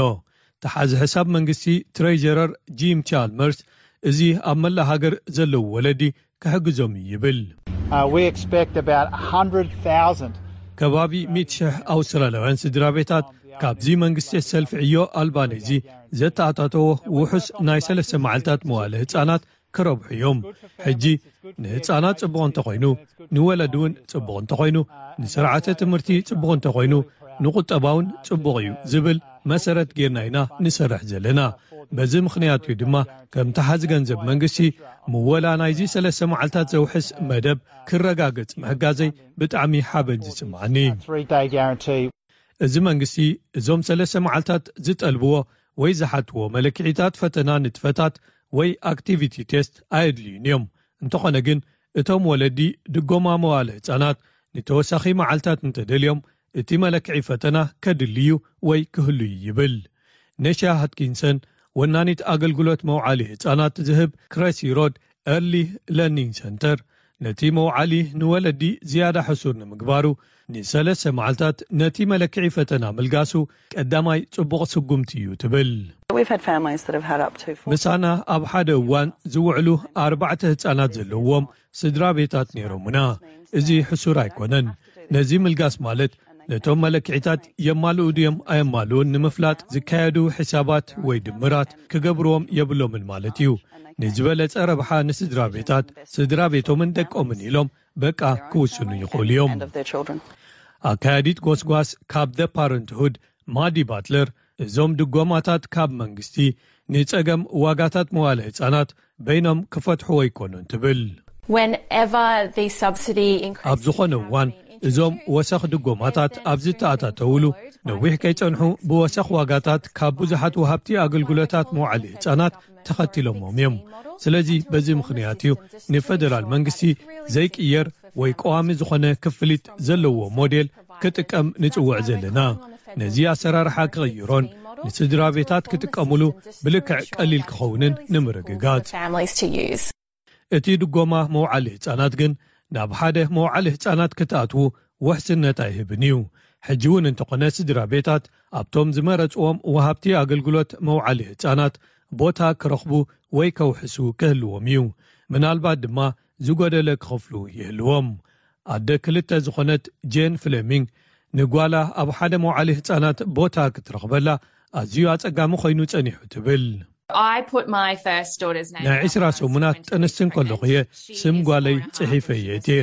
ተሓዚ ሕሳብ መንግስቲ ትሬጀረር ጂም ቻልመርስ፣ እዚ ኣብ መላእ ሃገር ዘለዉ ወለዲ ክሕግዞም እዩ ይብል። Uh, we expect about one hundred thousand. ከባቢ ሚእቲ ሽሕ ኣውስትራልያውያን ስድራ ቤታት ካብዚ መንግስቲ ሰልፊ ዕዮ ኣልባኒዚ ዘተኣታተዎ ውሑስ ናይ ሰለስተ መዓልታት መዋለ ህጻናት ክረብሑ እዮም። ሕጂ ንህጻናት ጽቡቕ እንተኾይኑ፣ ንወለዲ እውን ጽቡቕ እንተኾይኑ፣ ንስርዓተ ትምህርቲ ጽቡቕ እንተኾይኑ፣ ንቁጠባ እውን ጽቡቕ እዩ ዝብል መሰረት ጌርና ኢና ንሰርሕ ዘለና። በዚ ምኽንያት እዩ ድማ ከም ተሓዚ ገንዘብ መንግስቲ ምወላ ናይዚ ሰለስተ መዓልታት ዘውሕስ መደብ ክረጋገጽ ምሕጋዘይ ብጣዕሚ ሓበን ዝስምዓኒ። Three day guarantee. እዚ መንግስቲ እዞም ሰለስተ መዓልታት ዝጠልብዎ ወይ ዝሓትዎ መለክዒታት ፈተና ንጥፈታት ወይ ኣክቲቪቲ ቴስት ኣየድልዩን እዮም። እንተኾነ ግን እቶም ወለዲ ድጎማ መዋለ ህጻናት ንተወሳኺ መዓልታት እንተደልዮም እቲ መለክዒ ፈተና ከድልዩ ወይ ክህሉ እዩ ይብል። ነሻ ሃትኪንሰን ወናኒት ኣገልግሎት መውዓሊ ህጻናት ዝህብ ክረሲ ሮድ ኤርሊ ለርኒንግ ሰንተር ነቲ መውዓሊ ንወለዲ ዝያዳ ሕሱር ንምግባሩ ንሰለስተ መዓልታት ነቲ መለክዒ ፈተና ምልጋሱ ቀዳማይ ጽቡቕ ስጉምቲ እዩ ትብል። We've had families that have had up to four. ምሳና ኣብ ሓደ እዋን ዝውዕሉ ኣርባዕተ ህጻናት ዘለዎም ስድራ ቤታት ነይሮምና። እዚ ሕሱር ኣይኮነን። ነዚ ምልጋስ ማለት ነቶም መለክዒታት የማልኡ ድዮም ኣየማልኡን ንምፍላጥ ዝካየዱ ሕሳባት ወይ ድምራት ክገብርዎም የብሎምን ማለት እዩ። ንዝበለጸ ረብሓ ንስድራ ቤታት፣ ስድራ ቤቶምን ደቆምን ኢሎም በቃ ክውስኑ ይኽእሉ እዮም። And of their children. ኣካያዲት ጎስጓስ ካብ The Parenthood ማዲ ባትለር፣ እዞም ድጎማታት ካብ መንግስቲ ንጸገም ዋጋታት መዋለ ህጻናት በይኖም ክፈትሕዎ ኣይኮኑን ትብል። Whenever the subsidy increases ኣብ ዝኾነ እዋን እዞም ወሰኽ ድጎማታት ኣብ ዝተኣታተውሉ ነዊሕ ከይጸንሑ ብወሰኽ ዋጋታት ካብ ብዙሓት ወሃብቲ ኣገልግሎታት መዋዕሊ ህጻናት ተኸቲሎሞም እዮም። ስለዚ በዚ ምኽንያት እዩ ንፈደራል መንግስቲ ዘይቅየር ወይ ቀዋሚ ዝኾነ ክፍሊት ዘለዎ ሞዴል ክጥቀም ንጽውዕ ዘለና። ነዚ ኣሰራርሓ ክቕይሮን ንስድራ ቤታት ክጥቀምሉ ብልክዕ ቀሊል ክኸውንን ንምርግጋጽ። Families to use. እቲ ድጎማ መውዓሊ ህጻናት ግን ናብ ሓደ መውዓሊ ህጻናት ክትኣትዉ ውሕስነት ኣይህብን እዩ። ሕጂ እውን እንተኾነ ስድራ ቤታት ኣብቶም ዝመረጽዎም ወሃብቲ ኣገልግሎት መውዓሊ ህጻናት ቦታ ክረኽቡ ወይ ከውሕሱ ክህልዎም እዩ። ምናልባት ድማ ዝጎደለ ክኸፍሉ ይህልዎም። ኣደ ክልተ ዝኾነት ጄን ፍሌሚንግ፣ ንጓላ ኣብ ሓደ መውዓሊ ህጻናት ቦታ ክትረኽበላ ኣዝዩ ኣጸጋሚ ኮይኑ ጸኒሑ ትብል። I put my first daughter's name ናይ ዕስራ ሰሙናት ጥንስቲ እንከለኹ እየ ስም ጓለይ ጽሒፈ እየ እትየ።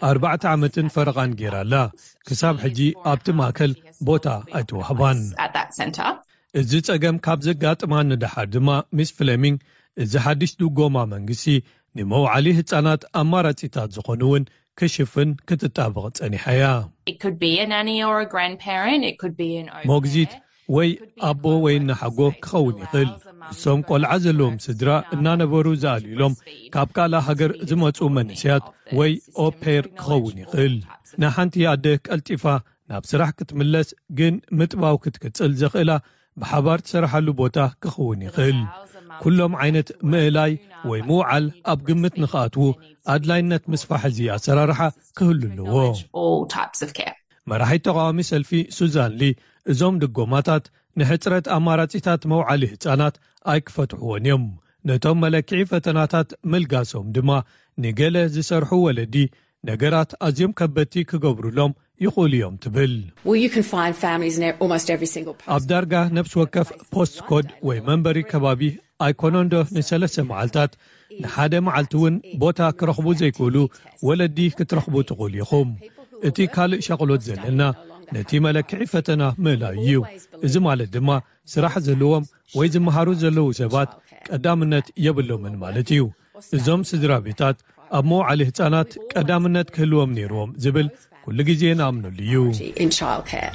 ኣርባዕተ ዓመትን ፈረቓን ጌራ ኣላ። ክሳብ ሕጂ ኣብቲ ማእከል ቦታ ኣይተዋህባን። At that centre. እዚ ጸገም ካብ ዘጋጥማ ንደሓር ድማ፣ ሚስ ፍሌሚንግ፣ እዚ ሓድሽ ድጎማ መንግስቲ ንመውዓሊ ህጻናት ኣማራጺታት ዝኾኑ እውን ክሽፍን ክትጣበቕ ጸኒሓ እያ። It could be a nanny or a grandparent. It could be an au pair. ሞግዚት ወይ ኣቦ ወይ እናሓጎ ክኸውን ይኽእል። እሶም ቆልዓ ዘለዎም ስድራ እናነበሩ ዝኣልዩሎም ካብ ካልእ ሃገር ዝመጹ መንእሰያት ወይ ኦፔር ክኸውን ይኽእል። ንሓንቲ ኣደ ቀልጢፋ ናብ ስራሕ ክትምለስ ግን ምጥባው ክትቅጽል ዘኽእላ ብሓባር ትሰርሓሉ ቦታ ክኸውን ይኽእል። ኩሎም ዓይነት ምእላይ ወይ ምውዓል ኣብ ግምት ንኽኣትዉ ኣድላይነት ምስፋሕ እዚ ኣሰራርሓ ክህሉ ኣለዎ። All types of care. መራሒት ተቓዋሚ ሰልፊ ሱዛን ሊ፣ እዞም ድጎማታት ንሕጽረት ኣማራጺታት መውዓሊ ህጻናት ኣይክፈትሕዎን እዮም። ነቶም መለክዒ ፈተናታት ምልጋሶም ድማ ንገለ ዝሰርሑ ወለዲ ነገራት ኣዝዮም ከበድቲ ክገብሩሎም ይኽእሉ እዮም ትብል። Well, you can find families in almost every single post. ኣብ ዳርጋ ነፍሲ ወከፍ ፖስት ኮድ ወይ መንበሪ ከባቢ ኣይኮነንዶ ንሰለስተ መዓልታት ንሓደ መዓልቲ እውን ቦታ ክረኽቡ ዘይክእሉ ወለዲ ክትረኽቡ ትኽእሉ ኢኹም። እቲ ካልእ ሻቕሎት ዘለና ነቲ መለክዒ ፈተና ምእላዩ እዩ። እዚ ማለት ድማ ስራሕ ዘለዎም ወይ ዝመሃሩ ዘለዉ ሰባት ቀዳምነት የብሎምን ማለት እዩ። እዞም ስድራ ቤታት ኣብ መውዓሊ ህጻናት ቀዳምነት ክህልዎም ነይርዎም ዝብል ኩሉ ግዜ ንኣምነሉ እዩ። In childcare.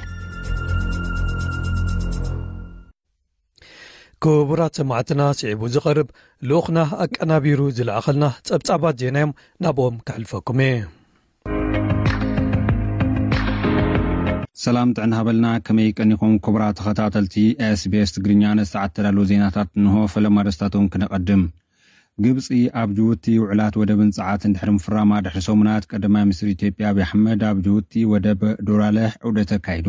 ክቡራት ሰማዕትና፣ ስዒቡ ዝቐርብ ልኡኽና ኣቀናቢሩ ዝለኣኸልና ጸብጻባት ዜና እዮም፣ ናብኦም ከሕልፈኩም እየ። ሰላም ጥዕና ሃበልና፣ ከመይ ቀኒኹም ክቡራት ተኸታተልቲ SBS ትግርኛ? ንሰዓት ተዳለዉ ዜናታት እንሆ። ፈለማ ደስታቶም ክነቐድም። ግብፂ ኣብ ጅቡቲ ውዕላት ወደብን ፀዓትን ድሕሪ ምፍራማ ድሕሪ ሰሙናት፣ ቀዳማይ ሚኒስትር ኢትዮጵያ ኣብይ ኣሕመድ ኣብ ጅቡቲ ወደብ ዶራለህ ዑደት ኣካይዱ።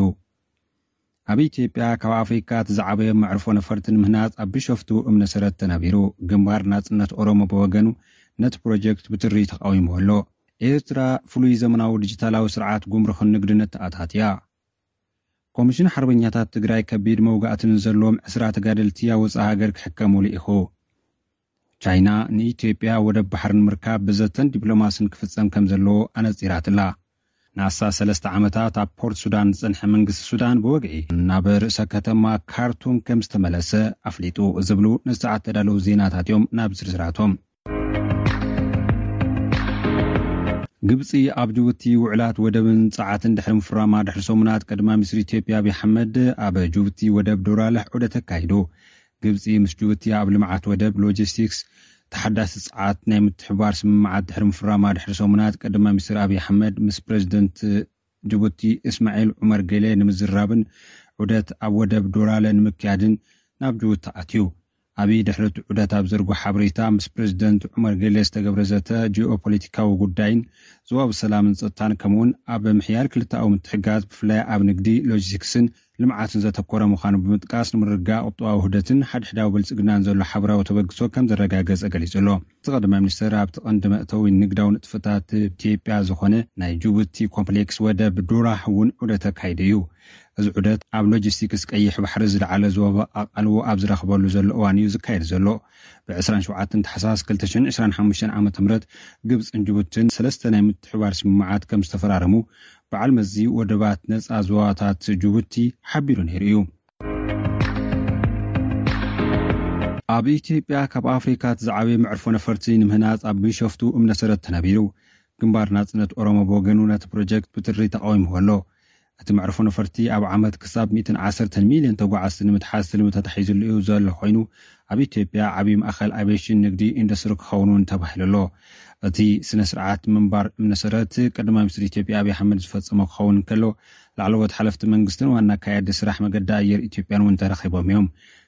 ኣብ ኢትዮጵያ ካብ ኣፍሪካ እቲ ዝዓበየ መዕርፎ ነፈርቲ ንምህናፅ ኣብ ቢሾፍቱ እምነ ሰረት ተነቢሩ። ግንባር ናፅነት ኦሮሞ ብወገኑ ነቲ ፕሮጀክት ብትሪ ተቃዊሙ ኣሎ። ኤርትራ ፍሉይ ዘመናዊ ዲጂታላዊ ስርዓት ጉምሩኽን ንግድን እተኣታትያ። ኮሚሽን ሓርበኛታት ትግራይ ከቢድ መውጋእቲ ንዘለዎም ዕስራ ተጋደልቲ ኣብ ወፃኢ ሃገር ክሕከሙ ልኢኹ። ቻይና ንኢትዮጵያ ወደብ ባሕሪ ንምርካብ ብዘተን ዲፕሎማስን ክፍፀም ከም ዘለዎ ኣነፂራትላ። ንኣስታት ሰለስተ ዓመታት ኣብ ፖርት ሱዳን ዝፀንሐ መንግስቲ ሱዳን ብወግዒ ናብ ርእሰ ከተማ ካርቱም ከም ዝተመለሰ ኣፍሊጡ። ዝብሉ ንሰዓት ተዳለዉ ዜናታት እዮም። ናብ ዝርዝራቶም። ግብፂ ኣብ ጅቡቲ ውዕላት ወደብን ፀዓትን ድሕሪ ምፍራማ ድሕሪ ሰሙናት፣ ቀዳማይ ሚኒስትር ኢትዮጵያ ኣብይ ኣሕመድ ኣብ ጅቡቲ ወደብ ዶራለህ ዑደት ኣካይዱ። ግብፂ ምስ ጅቡቲ ኣብ ልምዓት ወደብ፣ ሎጂስቲክስ፣ ተሓዳሲ ፀዓት ናይ ምትሕብባር ስምምዓት ድሕሪ ምፍራማ ድሕሪ ሰሙናት፣ ቀዳማይ ሚኒስትር ኣብይ ኣሕመድ ምስ ፕሬዚደንት ጅቡቲ እስማዒል ዑመር ጌሌ ንምዝራብን ዑደት ኣብ ወደብ ዶራለ ንምክያድን ናብ ጅቡቲ ኣትዩ። ኣብይ ድሕሪ እቲ ዑደት ኣብ ዘርጎ ሓበሬታ፣ ምስ ፕሬዚደንት ዑመር ጌሌ ዝተገብረ ዘተ ጂኦፖለቲካዊ ጉዳይን ዞባዊ ሰላምን ጸጥታን፣ ከምኡውን ኣብ ምሕያል ክልተኣዊ ምትሕጋዝ፣ ብፍላይ ኣብ ንግዲ፣ ሎጂስቲክስን ልምዓትን ዘተኮረ ምዃኑ ብምጥቃስ፣ ንምርግጋእ ቁጠባዊ ውህደትን ሓድሕዳዊ ብልጽግናን ዘሎ ሓበራዊ ተበግሶ ከም ዘረጋገጸ ገሊጹ ኣሎ። እቲ ቀዳማይ ሚኒስትር ኣብቲ ቀንዲ መእተዊ ንግዳዊ ንጥፈታት ኢትዮጵያ ዝኾነ ናይ ጅቡቲ ኮምፕሌክስ ወደብ ዶራህ እውን ዑደት ኣካይዱ እዩ። እዚ ዑደት ኣብ ሎጂስቲክስ ቀይሕ ባሕሪ ዝለዓለ ዞባ ኣቓልቦ ኣብ ዝረኽበሉ ዘሎ እዋን እዩ ዝካየድ ዘሎ። ብ ዕስራን ሸውዓተን ታሕሳስ ክልተ ሽሕን ዕስራን ሓሙሽተን ዓመተ ምህረት ግብጽን ጅቡትን ሰለስተ ናይ ምትሕባር ስምምዓት ከም ዝተፈራረሙ በዓል መዚ ወደባት ነጻ ዞባታት ጅቡቲ ሓቢሩ ነይሩ እዩ። ኣብ ኢትዮጵያ ካብ ኣፍሪካ እቲ ዝዓበየ መዕርፎ ነፈርቲ ንምህናፅ ኣብ ቢሾፍቱ እምነ ሰረት ተነቢሩ። ግንባር ናፅነት ኦሮሞ ብወገኑ ነቲ ፕሮጀክት ብትሪ ተቃዊምዎ ኣሎ። እቲ መዕርፎ ነፈርቲ ኣብ ዓመት ክሳብ ሚእትን ዓሰርተን ሚልዮን ተጓዓዝቲ ንምትሓዝ ትልሚ ተታሒዙሉ እዩ ዘሎ ኮይኑ፣ ኣብ ኢትዮጵያ ዓብዪ ማእኸል ኣቪዬሽን፣ ንግዲ፣ ኢንዱስትሪ ክኸውን እውን ተባሂሉ ኣሎ። እቲ ስነ ስርዓት ምንባር እምነ ሰረት ቀዳማይ ሚኒስትር ኢትዮጵያ ኣብይ ኣሕመድ ዝፈፀሞ ክኸውን እንከሎ፣ ላዕለዎት ሓለፍቲ መንግስትን ዋና ኣካያዲ ስራሕ መገዲ ኣየር ኢትዮጵያን እውን ተረኺቦም እዮም።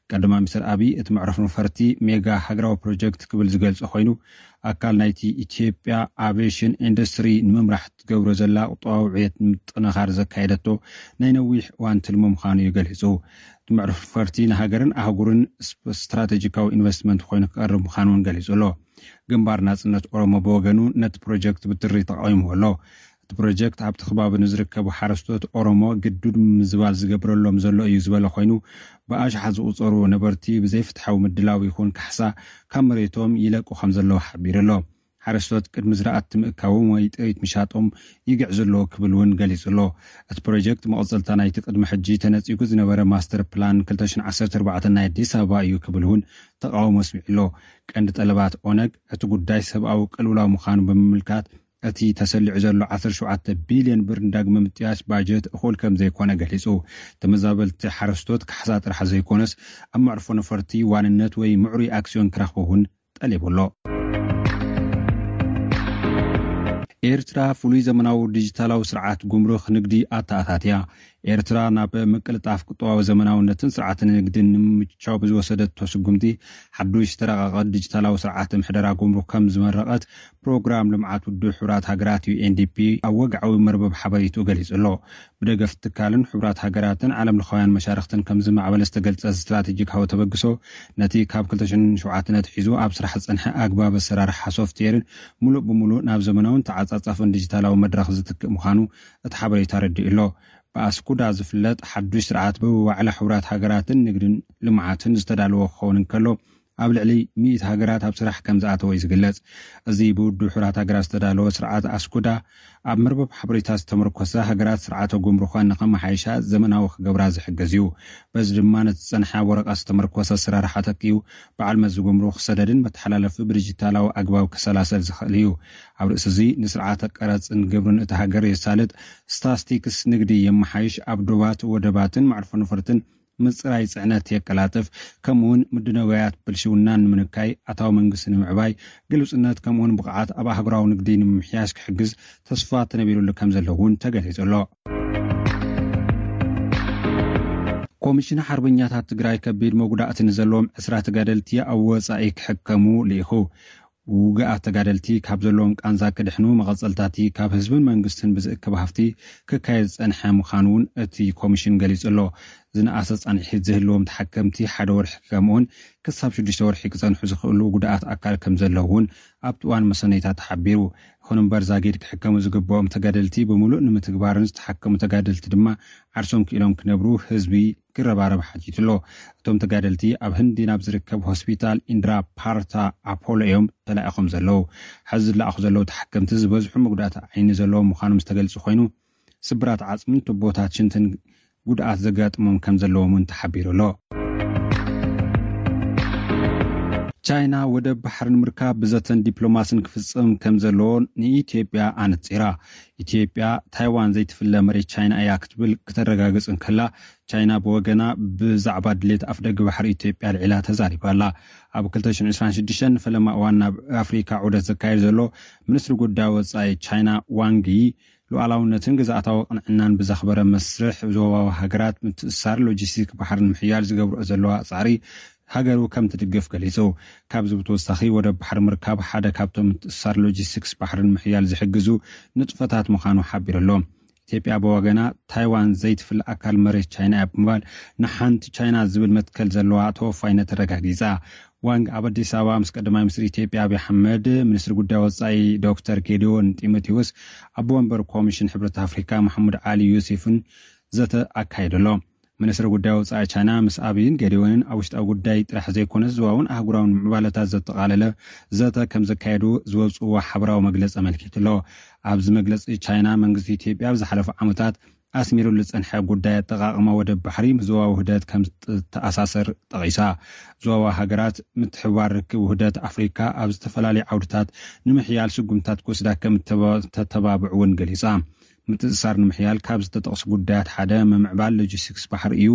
ቀዳማይ ሚኒስትር ኣብይ እቲ መዕርፎ ነፈርቲ ሜጋ ሃገራዊ ፕሮጀክት ክብል ዝገልጾ ኮይኑ፣ ኣካል ናይቲ ኢትዮጵያ ኣቪዬሽን ኢንዱስትሪ ንምምራሕ ትገብሮ ዘላ ቁጠባዊ ዕብየት ንምጥንኻር ዘካየደቶ ናይ ነዊሕ እዋን ትልሚ ምዃኑ እዩ ገሊጹ። እቲ መዕርፎ ነፈርቲ ንሃገርን ኣህጉርን ስፕ-፣ ስትራቴጂካዊ ኢንቨስትመንት ኮይኑ ክቐርብ ምዃኑ እውን ገሊጹ ኣሎ። ግንባር ናጽነት ኦሮሞ ብወገኑ ነቲ ፕሮጀክት ብትሪ ተቃዊምዎ ኣሎ። እቲ እቲ ፕሮጀክት ኣብቲ ከባቢ ንዝርከቡ ሓረስቶት ኦሮሞ ግዱድ ምዝባል ዝገብረሎም ዘሎ እዩ ዝበለ ኮይኑ፣ ብኣሽሓት ዝቑጸሩ ነበርቲ ብዘይፍትሓዊ ምድላው ይኹን ካሕሳ ካብ መሬቶም ይለቁ ከም ዘለዉ ሓቢሩ ኣሎ። ሓረስቶት ቅድሚ ዝራእቲ ምእካዎም ወይ ጥሪት ምሻጦም ይግዕዙ ኣለዉ ክብል እውን ገሊጹ ኣሎ። እቲ ፕሮጀክት መቐጸልታ ናይቲ ቅድሚ ሕጂ ተነጺጉ ዝነበረ ማስተር ፕላን ክልተ ሽሕን ዓሰርተ ኣርባዕተን ናይ ኣዲስ ኣበባ እዩ ክብል እውን ተቃውሞ ኣስሚዑ ኣሎ። ቀንዲ ጠለባት ኦነግ እቲ ጉዳይ ሰብኣዊ ቅልውላው ምዃኑ ብምምልካት፣ እቲ ተሰሊዑ ዘሎ ዓሰርተ ሸውዓተ ቢልዮን ብር ንዳግመ ምጥያሽ ባጀት እኹል ከም ዘይኮነ ገሊጹ። ተመዛበልቲ ሓረስቶት ካሕሳ ጥራሕ ዘይኮነስ፣ ኣብ መዕርፎ ነፈርቲ ዋንነት ወይ ምዕሩይ ኣክስዮን ክረኽቡ እውን ጠሊቡ ኣሎ። ኤርትራ ፍሉይ ዘመናዊ ዲጂታላዊ ስርዓት ጉምሩክ ንግዲ ኣተኣታትያ። ኤርትራ ናብ ምቅልጣፍ ቁጠባዊ ዘመናውነትን ስርዓት ንግድን ንምምችቻው ብዝወሰደቶ ስጉምቲ፣ ሓዱሽ ዝተረቐቐ ዲጂታላዊ ስርዓት ምሕደራ ጉምሩክ ከም ዝመረቐት ፕሮግራም ልምዓት ውድብ ሕቡራት ሃገራት፣ ዩ ኤን ዲ ፒ፣ ኣብ ወግዓዊ መርበብ ሓበሬትኡ ገሊጹ ኣሎ። ብደገፍ ትካልን ሕቡራት ሃገራትን ዓለም ለኻውያን መሻርኽትን ከም ዝማዕበለ ዝተገልጸ ስትራቴጂካዊ ተበግሶ፣ ነቲ ካብ ክልተ ሽሕን ሸውዓተን ኣትሒዙ ኣብ ስራሕ ዝጸንሐ ኣግባብ ኣሰራርሓ ሶፍትዌርን፣ ምሉእ ብምሉእ ናብ ዘመናውን ተዓጻጻፍን ዲጂታላዊ መድረኽ ዝትክእ ምዃኑ እቲ ሓበሬታ ኣረዲኡ ኣሎ። ብኣስኩዳ ዝፍለጥ ሓዱሽ ስርዓት፣ ብዋዕላ ሕቡራት ሃገራትን ንግድን ልምዓትን ዝተዳለወ ክኸውን እንከሎ፣ ኣብ ልዕሊ ሚእቲ ሃገራት ኣብ ስራሕ ከም ዝኣተወ እዩ ዝግለጽ። እዚ ብውድብ ሕቡራት ሃገራት ዝተዳለወ ስርዓት ኣስኩዳ፣ ኣብ መርበብ ሓበሬታ ዝተመርኮሰ፣ ሃገራት ስርዓተ ጉምሩኸን ንኸመሓይሻ ዘመናዊ ክገብራ ዝሕግዝ እዩ። በዚ ድማ ነቲ ዝጸንሐ ኣብ ወረቐት ዝተመርኮሰ ኣሰራርሓ ተኪኡ፣ በዓል መዚ ጉምሩኽ ሰደድን መተሓላለፊ ብዲጂታላዊ ኣግባብ ክሰላሰል ዝኽእል እዩ። ኣብ ርእሲ እዚ፣ ንስርዓተ ቀረጽን ግብርን እታ ሃገር የሳልጥ፣ ስታስቲክስ ንግዲ የመሓይሽ፣ ኣብ ዶባት፣ ወደባትን መዕርፎ ነፈርትን ምጽራይ ጽዕነት የቀላጥፍ፣ ከምኡውን ምድነውያት ብልሽውናን ንምንካይ፣ ኣታዊ መንግስቲ ንምዕባይ፣ ግልጽነት ከምኡውን ብቕዓት ኣብ ኣህጉራዊ ንግዲ ንምምሕያሽ ክሕግዝ ተስፋ ተነቢሩሉ ከም ዘሎ እውን ተገሊጹ ኣሎ። ኮሚሽን ሓርበኛታት ትግራይ ከቢድ መጉዳእቲ ንዘለዎም ዕስራ ተጋደልቲ ኣብ ወጻኢ ክሕከሙ ልኢኹ። ውግኣት ተጋደልቲ ካብ ዘለዎም ቃንዛ ክድሕኑ፣ መቐጸልታቲ ካብ ህዝብን መንግስትን ብዝእከብ ሃፍቲ ክካየድ ዝጸንሐ ምዃኑ እውን እቲ ኮሚሽን ገሊጹ ኣሎ። ዝነኣሰ ጻንሒት ዝህልዎም ተሓከምቲ ሓደ ወርሒ ከምኡውን ክሳብ ሽዱሽተ ወርሒ ክጸንሑ ዝኽእሉ ጉድኣት ኣካል ከም ዘለዉ እውን ኣብቲ እዋን መሰነይታ ተሓቢሩ። ይኹን እምበር፣ ዛጊድ ክሕከሙ ዝግብኦም ተጋደልቲ ብምሉእ ንምትግባርን ዝተሓከሙ ተጋደልቲ ድማ ዓርሶም ክኢሎም ክነብሩ ህዝቢ ክረባረብ ሓቲቱ ኣሎ። እቶም ተጋደልቲ ኣብ ህንዲ ናብ ዝርከብ ሆስፒታል ኢንድራ ፓርታ ኣፖሎ እዮም ተላኢኾም ዘለዉ። ሕዚ ዝለኣኹ ዘለዉ ተሓከምቲ ዝበዝሑ መጉዳእቲ ዓይኒ ዘለዎም ምዃኖም ዝተገልጹ ኮይኑ፣ ስብራት ዓጽምን ቱቦታት ሽንትን ጉድኣት ዘጋጥሞም ከም ዘለዎም እውን ተሓቢሩ ኣሎ። ቻይና ወደብ ባሕሪ ንምርካብ ብዘተን ዲፕሎማስን ክፍጽም ከም ዘለዎ ንኢትዮጵያ ኣነጺራ። ኢትዮጵያ ታይዋን ዘይትፍለ መሬት ቻይና እያ ክትብል ክተረጋግጽ እንከላ፣ ቻይና ብወገና ብዛዕባ ድሌት ኣፍደገ ባሕሪ ኢትዮጵያ ኣልዒላ ተዛሪባ ኣላ። ኣብ ክልተ ሽሕን ዕስራን ሽዱሽተን ንፈለማ እዋን ናብ ኣፍሪካ ዑደት ዘካየድ ዘሎ ሚኒስትሪ ጉዳይ ወጻኢ ቻይና ዋንግ ዪ፣ ሉዓላውነትን ግዝኣታዊ ቅንዕናን ብዘኽበረ መስርሕ ዞባዊ ሃገራት ምትእስሳር ሎጂስቲክ ባሕሪ ንምሕያል ዝገብርኦ ዘለዋ ጻዕሪ ሃገሩ ከም ትድግፍ ገሊጹ። ካብዚ ብተወሳኺ፣ ወደብ ባሕሪ ምርካብ ሓደ ካብቶም ምትእስሳር ሎጂስቲክስ ባሕሪ ንምሕያል ዝሕግዙ ንጥፈታት ምዃኑ ሓቢሩ ኣሎ። ኢትዮጵያ ብወገና፣ ታይዋን ዘይትፍለ ኣካል መሬት ቻይና እያ ብምባል፣ ንሓንቲ ቻይና ዝብል መትከል ዘለዋ ተወፋይነት ኣረጋጊጻ። ዋንግ ኣብ ኣዲስ ኣበባ ምስ ቀዳማይ ሚኒስትር ኢትዮጵያ ኣብይ ኣሕመድ፣ ሚኒስትሪ ጉዳይ ወጻኢ ዶክተር ጌዲዮን ጢሞቴዎስ፣ ኣቦ ወንበር ኮሚሽን ሕብረት ኣፍሪካ መሐሙድ ዓሊ ዩሲፍን ዘተ ኣካይዱ ኣሎ። ሚኒስትሪ ጉዳይ ወጻኢ ቻይና ምስ ኣብይን ጌዲዮንን ኣብ ውሽጣዊ ጉዳይ ጥራሕ ዘይኮነስ፣ ዞባውን ኣህጉራውን ምዕባለታት ዘጠቓለለ ዘተ ከም ዘካየዱ ዝወጽዎ ሓበራዊ መግለጺ ኣመልኪቱ ኣሎ። ኣብዚ መግለጺ፣ ቻይና መንግስቲ ኢትዮጵያ ኣብ ዝሓለፉ ዓመታት ኣስሚሩሉ ዝጸንሐ ጉዳይ ኣጠቓቕማ ወደብ ባሕሪ ምስ ዞባዊ ውህደት ከም ዝተኣሳሰር ጠቒሳ። ዞባዊ ሃገራት ምትሕብባር ርክብ ውህደት ኣፍሪካ ኣብ ዝተፈላለዩ ዓውድታት ንምሕያል ስጉምታት ክወስዳ ከም እተባ-፣ ተተባብዕ እውን ገሊጻ። ምትእስሳር ንምሕያል ካብ ዝተጠቕሱ ጉዳያት ሓደ ምምዕባል ሎጂስቲክስ ባሕሪ እዩ።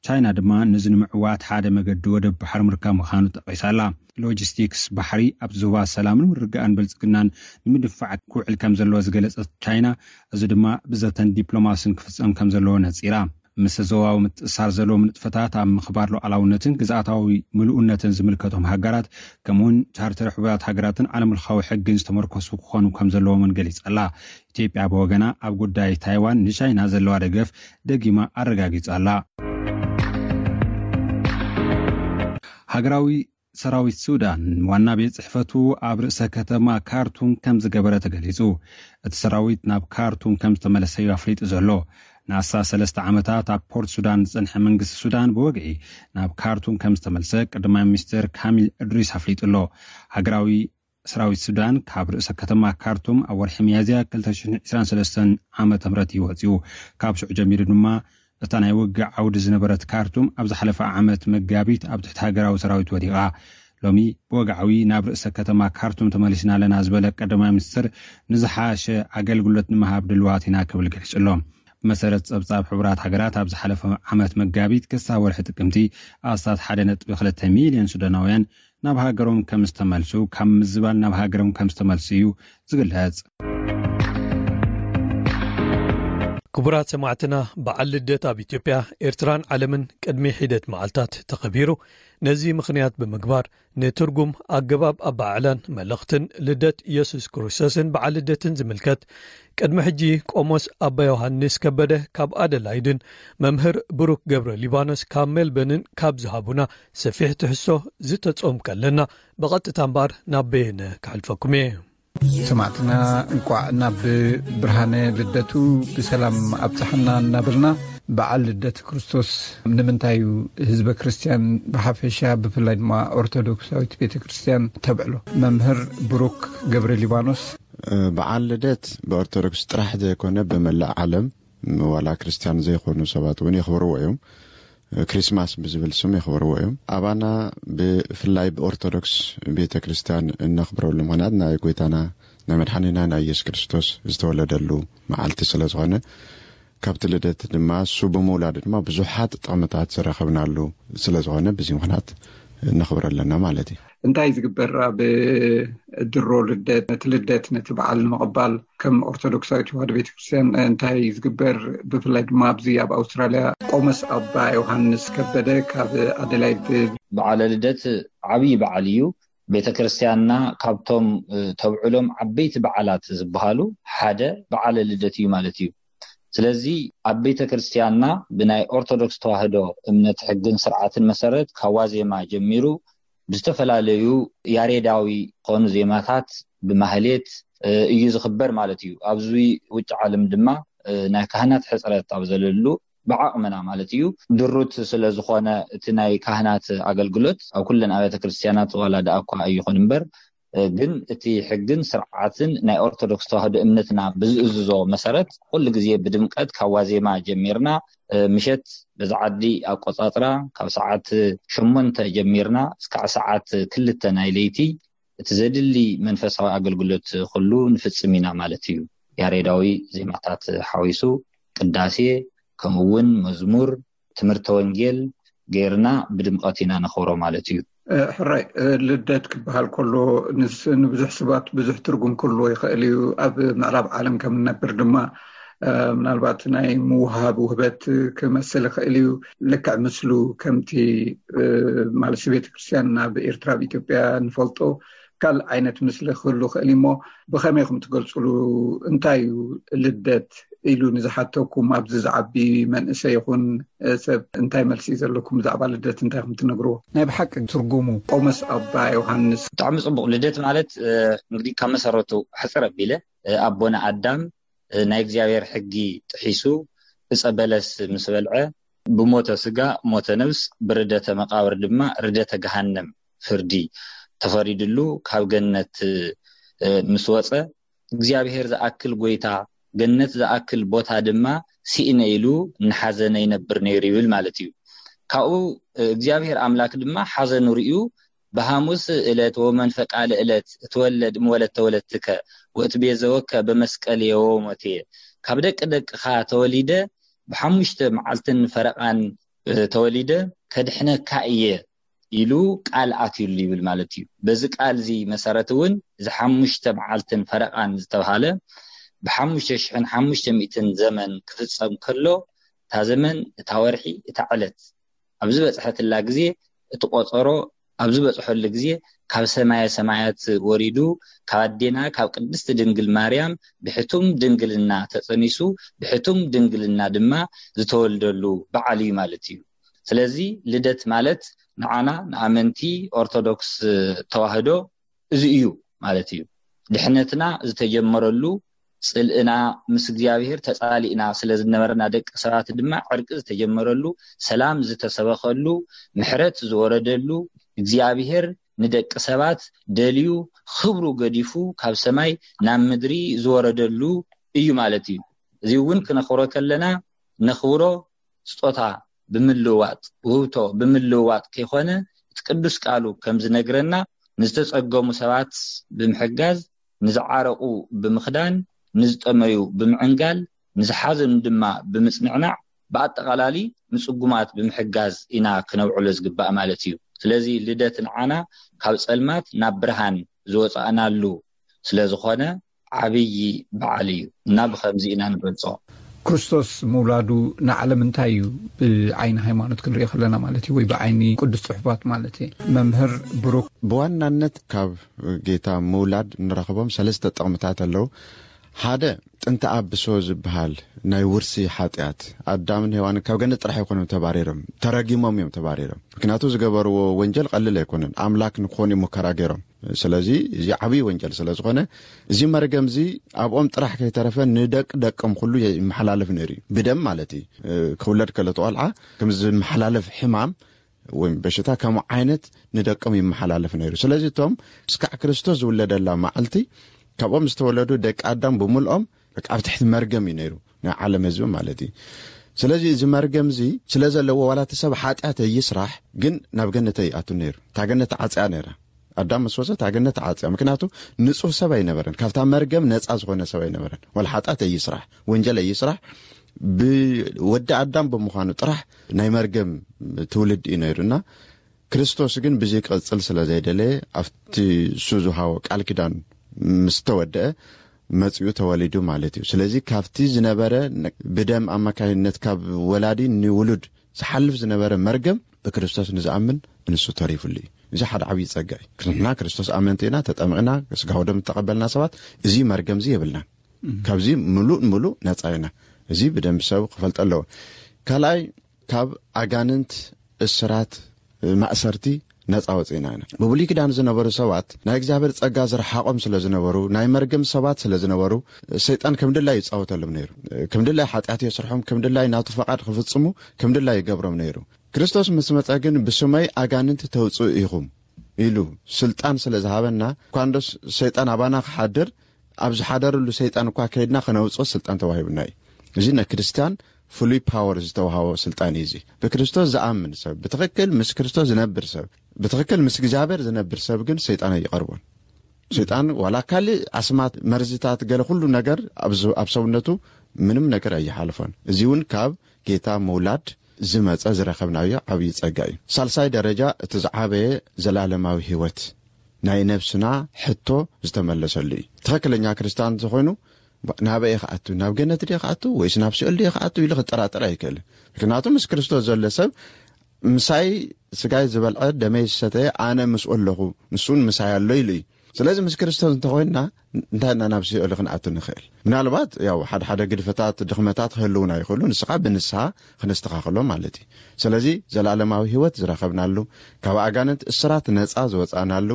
ቻይና ድማ ነዚ ንምዕዋት ሓደ መገዲ ወደብ ባሕሪ ምርካብ ምዃኑ ጠቒሳ ኣላ። ሎጂስቲክስ ባሕሪ ኣብ ዞባ ሰላምን ምርግጋእን ብልጽግናን ንምድፋዕ ክውዕል ከም ዘለዎ ዝገለጸት ቻይና፣ እዚ ድማ ብዘተን ዲፕሎማስን ክፍጸም ከም ዘለዎ ነጺራ። ምስ ዞባዊ ምትእስሳር ዘለዎም ንጥፈታት ኣብ ምኽባር ሉዓላውነትን ግዝኣታዊ ምሉእነትን ዝምልከቶም ሃገራት፣ ከምኡውን ቻርተር ሕቡራት ሃገራትን ዓለም ለኻዊ ሕግን ዝተመርኮሱ ክኾኑ ከም ዘለዎም እውን ገሊጻ ኣላ። ኢትዮጵያ ብወገና፣ ኣብ ጉዳይ ታይዋን ንቻይና ዘለዋ ደገፍ ደጊማ ኣረጋጊጻ ኣላ። ሃገራዊ ሰራዊት ሱዳን ዋና ቤት ጽሕፈቱ ኣብ ርእሰ ከተማ ካርቱም ከም ዝገበረ ተገሊጹ። እቲ ሰራዊት ናብ ካርቱም ከም ዝተመለሰ እዩ ኣፍሊጡ ዘሎ። ንኣስታት ሰለስተ ዓመታት ኣብ ፖርት ሱዳን ዝጸንሐ መንግስቲ ሱዳን ብወግዒ ናብ ካርቱም ከም ዝተመልሰ ቀዳማይ ሚኒስትር ካሚል እድሪስ ኣፍሊጡ ኣሎ። ሃገራዊ ሰራዊት ሱዳን ካብ ርእሰ ከተማ ካርቱም ኣብ ወርሒ ሚያዝያ ክልተ ሽሕን ዕስራን ሰለስተን ዓመተ ምህረት እዩ ወጺኡ። ካብ ሽዑ ጀሚሩ ድማ እታ ናይ ውግእ ዓውዲ ዝነበረት ካርቱም ኣብ ዝሓለፈ ዓመት መጋቢት ኣብ ትሕቲ ሃገራዊ ሰራዊት ወዲቓ። ሎሚ ብወግዓዊ ናብ ርእሰ ከተማ ካርቱም ተመሊስና ኣለና ዝበለ ቀዳማይ ሚኒስትር፣ ንዝሓሸ ኣገልግሎት ንምሃብ ድልዋት ኢና ክብል ገሊጹ ኣሎ። ብመሰረት ጸብጻብ ሕቡራት ሃገራት፣ ኣብ ዝሓለፈ ዓመት መጋቢት ክሳብ ወርሒ ጥቅምቲ ኣስታት ሓደ ነጥቢ ክልተ ሚልዮን ሱዳናውያን ናብ ሃገሮም ከም ዝተመልሱ፣ ካብ ምዝባል ናብ ሃገሮም ከም ዝተመልሱ እዩ ዝግለጽ። ክቡራት ሰማዕትና፣ በዓል ልደት ኣብ ኢትዮጵያ፣ ኤርትራን ዓለምን ቅድሚ ሒደት መዓልታት ተኸቢሩ። ነዚ ምኽንያት ብምግባር፣ ንትርጉም፣ ኣገባብ ኣበዓዕላን መልእኽትን ልደት ኢየሱስ ክርስቶስን በዓል ልደትን ዝምልከት፣ ቅድሚ ሕጂ ቆሞስ ኣባ ዮሃንስ ከበደ ካብ ኣደላይድን መምህር ብሩክ ገብረ ሊባኖስ ካብ ሜልበንን ካብ ዝሃቡና ሰፊሕ ትሕዝቶ ዝተጾም ከለና፣ ብቐጥታ እምበኣር ናብ በየነ ከሕልፈኩም እየ። ሰማዕትና፣ እንቋዕ ናብ ብርሃነ ልደቱ ብሰላም ኣብጽሓና እናበልና፣ በዓል ልደት ክርስቶስ ንምንታይ እዩ ህዝበ ክርስቲያን ብሓፈሻ፣ ብፍላይ ድማ ኦርቶዶክሳዊት ቤተ ክርስቲያን ተብዕሎ? መምህር ብሩክ ገብረ ሊባኖስ። በዓል ልደት ብኦርቶዶክስ ጥራሕ ዘይኮነ፣ ብመላእ ዓለም፣ ዋላ ክርስቲያን ዘይኮኑ ሰባት እውን የኽብርዎ እዮም። ክሪስማስ ብዝብል ስም የኽብርዎ እዮም። ኣባና፣ ብፍላይ ብኦርቶዶክስ ቤተ ክርስቲያን፣ እነኽብረሉ ምኽንያት ናይ ጎይታና ናይ መድሓኒና ናይ ኢየሱስ ክርስቶስ ዝተወለደሉ መዓልቲ ስለ ዝኾነ፣ ካብቲ ልደት ድማ፣ እሱ ብምውላዱ ድማ ብዙሓት ጥቕምታት ዝረኸብናሉ ስለ ዝኾነ፣ በዚ ምኽንያት ነኽብሮ ኣለና ማለት እዩ። እንታይ ዝግበር ኣብ ድሮ ልደት? ነቲ ልደት፣ ነቲ በዓል ንምቕባል ከም ኦርቶዶክሳዊት ተዋህዶ ቤተክርስትያን እንታይ ዝግበር? ብፍላይ ድማ ኣብዚ ኣብ ኣውስትራልያ ቆሞስ ኣባ ዮሃንስ ከበደ ካብ ኣደላይድ። በዓለ ልደት ዓብዪ በዓል እዩ። ቤተክርስትያንና ካብቶም፣ እ፣ ተብዕሎም ዓበይቲ በዓላት ዝበሃሉ ሓደ በዓለ ልደት እዩ ማለት እዩ። ስለዚ ኣብ ቤተክርስትያንና ብናይ ኦርቶዶክስ ተዋህዶ እምነት ሕግን ስርዓትን መሰረት ካብ ዋዜማ ጀሚሩ ብዝተፈላለዩ ያሬዳዊ ዝኾኑ ዜማታት ብማህሌት፣ እ፣ እዩ ዝኽበር ማለት እዩ። ኣብዚ ውጭ ዓለም ድማ፣ እ፣ ናይ ካህናት ሕጽረት ኣብ ዘለሉ ብዓቕምና ማለት እዩ። ድሩት ስለ ዝኾነ እቲ ናይ ካህናት ኣገልግሎት ኣብ ኩለን ኣብያተ ክርስትያናት ዋላ ደኣ እኳ ኣይኹን እምበር፣ እ፣ ግን እቲ ሕግን ስርዓትን ናይ ኦርቶዶክስ ተዋህዶ እምነትና ብዝእዝዞ መሰረት ኩሉ ግዜ ብድምቀት ካብ ዋዜማ ጀሚርና፣ እ፣ ምሸት በዚ ዓዲ ኣቆጻጽራ ካብ ሰዓት ሸሞንተ ጀሚርና እስካዕ ሰዓት ክልተ ናይ ለይቲ እቲ ዘድሊ መንፈሳዊ ኣገልግሎት ኩሉ ንፍጽም ኢና ማለት እዩ። ያሬዳዊ ዜማታት ሓዊሱ ቅዳሴ፣ ከምኡ እውን መዝሙር፣ ትምህርተ ወንጌል ጌርና ብድምቐት ኢና ነኽብሮ ማለት እዩ። እ፣ ሕራይ፣ እ፣ ልደት ክበሃል ከሎ ንስ-፣ ንብዙሕ ሰባት ብዙሕ ትርጉም ክህልዎ ይኽእል እዩ። ኣብ ምዕራብ ዓለም ከም ንነብር ድማ፣ እ፣ ምናልባት ናይ ምውሃብ ውህበት ክመስል ይኽእል እዩ። ልክዕ ምስሉ ከምቲ፣ እ፣ ማለት ቤተክርስትያን ናብ ኤርትራ፣ ኣብ ኢትዮጵያ ንፈልጦ ካልእ ዓይነት ምስሊ ክህሉ ይኽእል እዩ። እሞ ብኸመይ ኢኹም ትገልጽሉ? እንታይ እዩ ልደት ኢሉ ንዝሓተኩም፣ ኣብዚ ዝዓቢ መንእሰይ ይኹን ሰብ፣ እንታይ መልሲ እዩ ዘለኩም? ብዛዕባ ልደት እንታይ ኢኹም ትነግርዎ? ናይ ብሓቂ ትርጉሙ። ቆሞስ ኣባ ዮሃንስ። ብጣዕሚ ጽቡቕ። ልደት ማለት፣ እ፣ እንግዲህ ካብ መሰረቱ ሕጽር ኣቢለ፣ እ፣ ኣቦና ኣዳም፣ እ፣ ናይ እግዚኣብሔር ሕጊ ጥሒሱ ዕጸ በለስ ምስ በልዐ፣ ብሞተ ስጋ ሞተ ነብስ፣ ብርደተ መቃብር ድማ ርደተ ገሃነም ፍርዲ ተፈሪድሉ ካብ ገነት፣ እ፣ ምስ ወጸ፣ እግዚኣብሔር ዝኣክል ጎይታ፣ ገነት ዝኣክል ቦታ ድማ ስኢነ ኢሉ እናሓዘነ ይነብር ነይሩ ይብል ማለት እዩ። ካብኡ፣ እ፣ እግዚኣብሔር ኣምላክ ድማ ሓዘኑ ርእዩ፣ ብሃሙስ እለት ወመንፈቃ ለእለት እትወለድ እምወለት ተወለትከ ወእትቤዘወከ በመስቀል የወሞቴ፣ ካብ ደቂ ደቅኻ ተወሊደ ብሓሙሽተ መዓልትን ፈረቓን፣ እ፣ ተወሊደ ከድሕነካ እየ ኢሉ ቃል ኣትዩሉ ይብል ማለት እዩ። በዚ ቃል እዚ መሰረት እውን እዚ ሓሙሽተ መዓልትን ፈረቓን ዝተባሃለ ብሓሙሽተ ሽሕን ሓሙሽተ ሚእትን ዘመን ክፍጸም ከሎ፣ እታ ዘመን፣ እታ ወርሒ፣ እታ ዕለት ኣብ ዝበጽሐትላ ግዜ፣ እቲ ቆጸሮ ኣብ ዝበጽሐሉ ግዜ፣ ካብ ሰማየ ሰማያት ወሪዱ፣ ካብ ኣዴና ካብ ቅድስቲ ድንግል ማርያም ብሕቱም ድንግልና ተጸኒሱ፣ ብሕቱም ድንግልና ድማ ዝተወልደሉ በዓል እዩ ማለት እዩ። ስለዚ ልደት ማለት ንዓና ንኣመንቲ ኦርቶዶክስ ተዋህዶ እዚ እዩ ማለት እዩ። ድሕነትና ዝተጀመረሉ፣ ጽልእና ምስ እግዚኣብሔር ተጻሊእና ስለ ዝነበርና፣ ደቂ ሰባት ድማ ዕርቂ ዝተጀመረሉ፣ ሰላም ዝተሰበኸሉ፣ ምሕረት ዝወረደሉ፣ እግዚኣብሔር ንደቂ ሰባት ደልዩ ክብሩ ገዲፉ ካብ ሰማይ ናብ ምድሪ ዝወረደሉ እዩ ማለት እዩ። እዚ እውን ክነኽብሮ ከለና፣ ነኽብሮ፣ ስጦታ ብምልውዋጥ፣ ውህብቶ ብምልውዋጥ ከይኮነ፣ እቲ ቅዱስ ቃሉ ከም ዝነግረና፣ ንዝተጸገሙ ሰባት ብምሕጋዝ፣ ንዝዓረቑ ብምኽዳን፣ ንዝጠመዩ ብምዕንጋል፣ ንዝሓዘኑ ድማ ብምጽንዕናዕ፣ ብኣጠቓላሊ ንጽጉማት ብምሕጋዝ ኢና ክነውዕሎ ዝግባእ ማለት እዩ። ስለዚ ልደት ንዓና ካብ ጸልማት ናብ ብርሃን ዝወጻእናሉ ስለ ዝኾነ፣ ዓብዪ በዓል እዩ እና ብኸምዚ ኢና ንገልጾ። ክርስቶስ ምውላዱ ንዓለም እንታይ እዩ ብዓይኒ ሃይማኖት ክንሪኦ ከለና ማለት እዩ፣ ወይ ብዓይኒ ቅዱስ ጽሑፋት ማለት እዩ? መምህር ብሩክ። ብዋናነት ካብ ጌታ ምውላድ እንረኽቦም ሰለስተ ጥቕምታት ኣለዉ። ሓደ፣ ጥንቲ ኣብሶ ዝበሃል ናይ ውርሲ ሓጢኣት፣ ኣዳምን ሄዋንን ካብ ገነት ጥራሕ ኣይኮኑም ተባሪሮም፣ ተረጊሞም እዮም ተባሪሮም። ምክንያቱ ዝገበርዎ ወንጀል ቀልል ኣይኮነን። ኣምላክ ንክኾኑ ሙከራ ገይሮም። ስለዚ እዚ ዓብዪ ወንጀል ስለ ዝኾነ፣ እዚ መርገም እዚ ኣብኦም ጥራሕ ከይተረፈ ንደቂ ደቆም ኩሉ ይመሓላለፍ ነይሩ እዩ። ብደም ማለት እዩ። ክውለድ ከሎ እቲ ቆልዓ ከም ዝመሓላለፍ ሕማም ወይ በሽታ ከምኡ ዓይነት ንደቆም ይመሓላለፍ ነይሩ። ስለዚ እቶም ስካዕ ክርስቶስ ዝውለደላ መዓልቲ ካብኦም ዝተወለዱ ደቂ ኣዳም ብምልኦም በቃ ኣብ ትሕቲ መርገም እዩ ነይሩ፣ ናይ ዓለም ህዝቢ ማለት እዩ። ስለዚ እዚ መርገም እዚ ስለ ዘለዎ ዋላ እቲ ሰብ ሓጢኣት ይስራሕ ግን ናብ ገነት ኣይኣቱን ነይሩ። እታ ገነት ተዓፅያ ነይራ። ኣዳም ምስ ወፀ እታ ገነት ተዓፅያ። ምክንያቱ ንፁህ ሰብ ኣይነበረን፣ ካብታ መርገም ነፃ ዝኾነ ሰብ ኣይነበረን። ዋላ ሓጢኣት ኣይስራሕ፣ ወንጀል ኣይስራሕ፣ ብወዲ ኣዳም ብምዃኑ ጥራሕ ናይ መርገም ትውልድ እዩ ነይሩ እና ክርስቶስ ግን ብዚ ክቕፅል ስለ ዘይደለየ ኣብቲ እሱ ዝሃቦ ቃል ኪዳን ምስ ተወደአ መፂኡ ተወሊዱ ማለት እዩ። ስለዚ ካብቲ ዝነበረ ነ- ብደም ኣማካይነት ካብ ወላዲ ንውሉድ ዝሓልፍ ዝነበረ መርገም ብክርስቶስ ንዝኣምን ንሱ ተሪፉሉ እዩ። እዚ ሓደ ዓብዪ ጸጋ እዩ። ንሕና ክርስቶስ ኣመንቲ ኢና፣ ተጠምቕና፣ ስጋ ወደም ዝተቐበልና ሰባት እዚ መርገም እዚ የብልናን። ካብዚ ምሉእ ምሉእ ነጻ ኢና። እዚ ብደንብ ሰብ ክፈልጦ ኣለዎ። ካልኣይ ካብ ኣጋንንት፣ እስራት፣ ማእሰርቲ ነፃ ወፂእና ኢና። ብብሉይ ኪዳን ዝነበሩ ሰባት ናይ እግዚኣብሔር ፀጋ ዝረሓቆም ስለ ዝነበሩ፣ ናይ መርገም ሰባት ስለ ዝነበሩ፣ ሰይጣን ከም ድላይ ይፃወተሎም ነይሩ። ከም ድላይ ሓጢኣት የስርሖም፣ ከም ድላይ ናቱ ፈቃድ ክፍፅሙ ከም ድላይ ይገብሮም ነይሩ። ክርስቶስ ምስ መፀ ግን ብስመይ ኣጋንንት ተውፅኡ ኢኹም ኢሉ ስልጣን ስለ ዝሃበና፣ እኳ እንዶስ ሰይጣን ኣባና ክሓድር፣ ኣብ ዝሓደረሉ ሰይጣን እኳ ከይድና ከነውፅኦ ስልጣን ተዋሂቡና እዩ። እዚ ንክርስቲያን ፍሉይ ፓወር ዝተዋሃቦ ስልጣን እዩ። እዚ ብክርስቶስ ዝኣምን ሰብ፣ ብትኽክል ምስ ክርስቶስ ዝነብር ሰብ፣ ብትኽክል ምስ እግዚኣብሔር ዝነብር ሰብ ግን ሰይጣን ኣይቐርቦን። ሰይጣን ዋላ ካልእ ኣስማት፣ መርዝታት፣ ገለ ኩሉ ነገር ኣብ ዝ- ኣብ ሰውነቱ ምንም ነገር ኣይሓልፎን። እዚ እውን ካብ ጌታ ምውላድ ዝመፀ ዝረኸብናዮ ዓብዪ ጸጋ እዩ። ሳልሳይ ደረጃ እቲ ዝዓበየ ዘላለማዊ ህይወት ናይ ነብስና ሕቶ ዝተመለሰሉ እዩ። ትኽክለኛ ክርስቲያን እንተኾይኑ ናበይ ክኣቱ፣ ናብ ገነት ድየ ክኣቱ ወይስ ናብ ሲኦል ድየ ክኣቱ ኢሉ ክጠራጠር ኣይክእልን። ምክንያቱ ምስ ክርስቶስ ዘሎ ሰብ ምሳይ ስጋይ ዝበልዐ ደመይ ዝሰተየ ኣነ ምስኡ ኣለኹ ንሱን ምሳይ ኣሎ ኢሉ እዩ። ስለዚ ምስ ክርስቶስ እንተኾይንና እንታይ ኢና ናብ ሲኦል ክንኣቱ ንኽእል? ምናልባት ያው ሓደ ሓደ ግድፈታት ድኽመታት ክህልውና ይኽእሉ፣ ንስኻ ብንስሓ ክነስተኻኽሎ ማለት እዩ። ስለዚ ዘላለማዊ ህይወት ዝረኸብናሉ፣ ካብ ኣጋንንት እስራት ነፃ ዝወፃእናሉ፣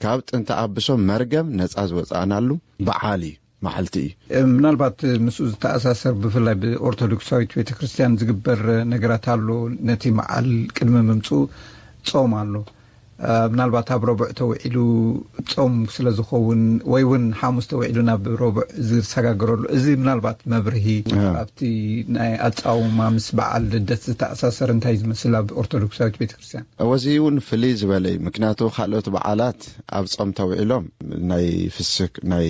ካብ ጥንቲ ኣብሶ መርገም ነፃ ዝወፃእናሉ በዓል እዩ፣ መዓልቲ እዩ። ምናልባት ምስኡ ዝተኣሳሰር ብፍላይ ብኦርቶዶክሳዊት ቤተክርስትያን ዝግበር ነገራት ኣሎ። ነቲ መዓል ቅድሚ ምምፅኡ ጾም ኣሎ። ምናልባት ኣብ ረቡዕ ተውዒሉ ጾም ስለ ዝኸውን ወይ እውን ሓሙስ ተውዒሉ ናብ ረቡዕ ዝሰጋገረሉ፣ እዚ ምናልባት መብርሂ ኣብቲ ናይ ኣጻውማ ምስ በዓል ልደት ዝተኣሳሰር እንታይ ዝመስል ኣብ ኦርቶዶክሳዊት ቤተክርስትያን? እወ፣ እዚ እውን ፍልይ ዝበለ እዩ። ምክንያቱ ካልኦት በዓላት ኣብ ጾም ተውዒሎም ናይ ፍስክ ናይ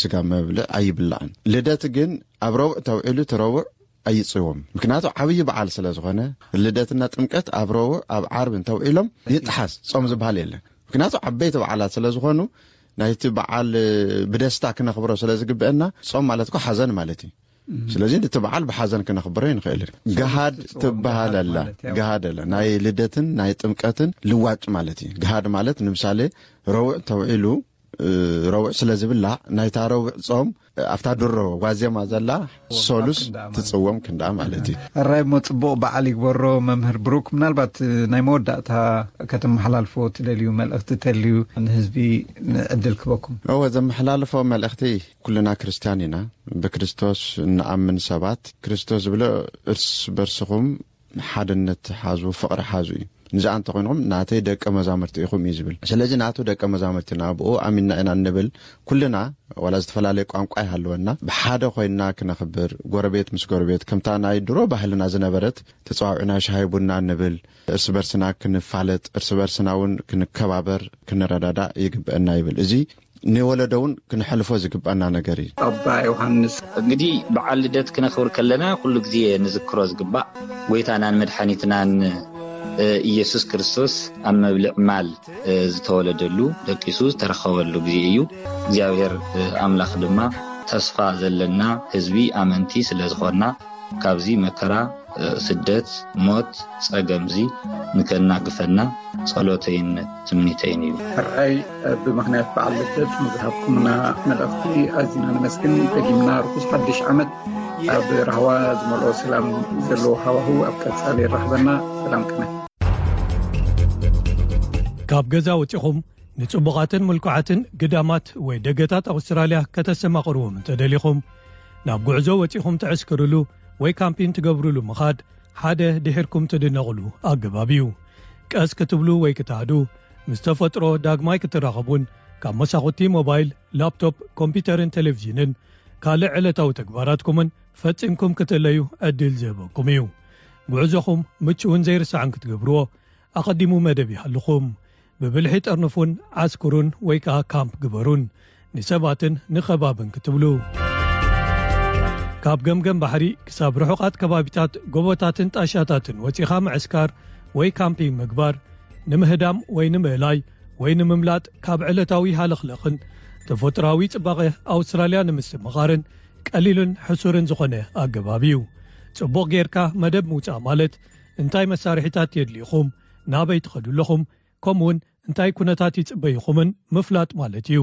ስጋ መብልዕ ኣይብላዕን። ልደት ግን ኣብ ረቡዕ ተውዒሉ እቲ ረቡዕ ኣይጽዎም። ምክንያቱ ዓብዪ በዓል ስለ ዝኾነ፣ ልደትና ጥምቀት ኣብ ረቡዕ ኣብ ዓርቢ እንተውዒሎም ይጥሓስ፣ ጾም ዝበሃል የለን። ምክንያቱ ዓበይቲ በዓላት ስለ ዝኾኑ ናይቲ በዓል ብደስታ ክነኽብሮ ስለ ዝግብአና፣ ጾም ማለት እኮ ሓዘን ማለት እዩ። ስለዚ ነቲ በዓል ብሓዘን ክነኽብሮ ይንኽእል። ገሃድ ትበሃል ኣላ። ገሃድ ኣላ። ናይ ልደትን ናይ ጥምቀትን ልዋጭ ማለት እዩ። ገሃድ ማለት ንምሳሌ ረቡዕ ተውዒሉ ረቡዕ ስለ ዝብላዕ ናይታ ረቡዕ ጾም ኣብታ ድሮ ዋዜማ ዘላ ሶሉስ ትጽወም ክንዳ ማለት እዩ። ራይ ሞ ጽቡቕ በዓል ይግበሮ። መምህር ብሩክ፣ ምናልባት ናይ መወዳእታ ከተመሓላልፎ ትደልዩ መልእኽቲ ተልዩ ንህዝቢ ዕድል ክበኩም። እወ፣ ዘመሓላልፎ መልእኽቲ፣ ኩልና ክርስትያን ኢና። ብክርስቶስ እንኣምን ሰባት፣ ክርስቶስ ዝብሎ እርስ በርስኹም ሓድነት ሓዙ፣ ፍቕሪ ሓዙ እዩ። ንዝኣ እንተኾይንኹም ናተይ ደቀ መዛሙርቲ ኢኹም እዩ ዝብል። ስለዚ ናቱ ደቀ መዛሙርቲ ኢና፣ ብኡ ኣሚንና ኢና እንብል ኩልና፣ ዋላ ዝተፈላለየ ቋንቋ ይሃልወና፣ ብሓደ ኮይንና ክነኽብር፣ ጎረቤት ምስ ጎረቤት፣ ከምታ ናይ ድሮ ባህልና ዝነበረት፣ ተጸዋውዕና ሻሂ ቡና እንብል፣ እርስ በርስና ክንፋለጥ፣ እርስ በርስና እውን ክንከባበር፣ ክንረዳዳእ ይግብአና ይብል። እዚ ንወለዶ እውን ክንሕልፎ ዝግባና ነገር እዩ። ኣባ ዮሃንስ፣ እንግዲህ በዓል ልደት ክነኽብር ከለና ኩሉ ግዜ ንዝክሮ ዝግባእ ጎይታናን መድሓኒትናን ኢየሱስ ክርስቶስ ኣብ መብልዕ ማል ዝተወለደሉ፣ ደቂሱ ዝተረኸበሉ ግዜ እዩ። እግዚኣብሔር ኣምላኽ ድማ ተስፋ ዘለና ህዝቢ ኣመንቲ ስለ ዝኾንና፣ ካብዚ መከራ፣ ስደት፣ ሞት፣ ጸገምዚ ንከናግፈና ጸሎተይን ትምኒተይን እዩ። ሕራይ፣ ብምኽንያት በዓል ልደት ንዝሃብኩምና መልእኽቲ ኣዚና ነመስግን። ደጊምና ርኩስ ሓድሽ ዓመት ኣብ ራህዋ ዝመልኦ ሰላም ዘለዎ ሃዋህው ኣብ ቀጻሊ የራኽበና። ሰላም ቅነ። ካብ ገዛ ወጺኹም ንጽቡቓትን ምልኩዓትን ግዳማት ወይ ደገታት ኣውስትራልያ ከተሰማቕርዎም እንተደሊኹም፣ ናብ ጉዕዞ ወጺኹም ትዕስክርሉ ወይ ካምፒን ትገብርሉ ምኻድ ሓደ ድሒርኩም ትድነቕሉ ኣገባብ እዩ። ቀስ ክትብሉ ወይ ክትሃዱ፣ ምስ ተፈጥሮ ዳግማይ ክትራኸቡን ካብ መሳኹቲ ሞባይል፣ ላፕቶፕ፣ ኮምፒተርን ቴሌቪዥንን ካልእ ዕለታዊ ተግባራትኩምን ፈጺምኩም ክትእለዩ ዕድል ዝህበኩም እዩ። ጉዕዞኹም ምቹውን ዘይርሳዕን ክትገብርዎ ኣቐዲሙ መደብ ይሃልኹም። ብብልሒ ጠርንፉን ዓስክሩን ወይ ከኣ ካምፕ ግበሩን፣ ንሰባትን ንኸባብን ክትብሉ። ካብ ገምገም ባሕሪ ክሳብ ርሑቓት ከባቢታት ጎቦታትን ጣሻታትን ወጺኻ ምዕስካር ወይ ካምፒንግ ምግባር፣ ንምህዳም ወይ ንምእላይ ወይ ንምምላጥ ካብ ዕለታዊ ሃለኽለኽን ተፈጥሮኣዊ ጽባቐ ኣውስትራልያ ንምስትምቓርን ቀሊልን ሕሱርን ዝኾነ ኣገባብ እዩ። ጽቡቕ ጌርካ መደብ ምውጻእ ማለት እንታይ መሳርሒታት የድልዩኹም፣ ናበይ ትኸዱ ኣለኹም፣ ከምኡውን እንታይ ኩነታት ይጽበዩኹምን ምፍላጥ ማለት እዩ።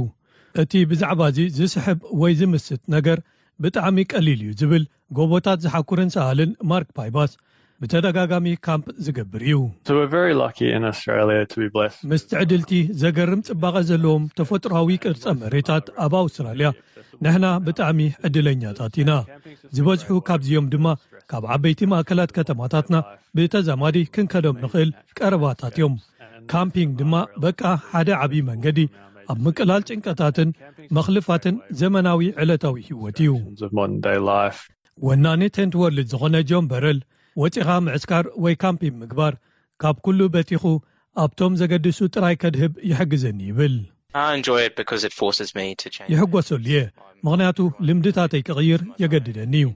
እቲ ብዛዕባ እዚ ዝስሕብ ወይ ዝምስጥ ነገር ብጣዕሚ ቀሊል እዩ ዝብል ጎቦታት ዝሓኩርን ሰኣልን ማርክ ፓይባስ ብተደጋጋሚ ካምፕ ዝገብር እዩ። So we're very lucky in Australia to be blessed. ምስ ትዕድልቲ ዘገርም ጽባቐ ዘለዎም ተፈጥሮኣዊ ቅርጸ መሬታት ኣብ ኣውስትራልያ ንሕና ብጣዕሚ ዕድለኛታት ኢና። ዝበዝሑ ካብዚኦም ድማ ካብ ዓበይቲ ማእከላት ከተማታትና ብተዛማዲ ክንከዶም ንኽእል ቀረባታት እዮም። ካምፒንግ ድማ በቃ ሓደ ዓብዪ መንገዲ ኣብ ምቅላል ጭንቀታትን መኽልፋትን ዘመናዊ ዕለታዊ ህይወት እዩ። Of modern day life. ወናኒ ቴንት ወርልድ ዝኾነ ጆን በረል፣ ወጺኻ ምዕስካር ወይ ካምፒንግ ምግባር ካብ ኩሉ በቲኹ ኣብቶም ዘገድሱ ጥራይ ከድህብ ይሕግዘኒ ይብል። I enjoy it because it forces me to change. ይሕጎሰሉ እየ፣ ምኽንያቱ ልምድታተይ ክቕይር የገድደኒ እዩ።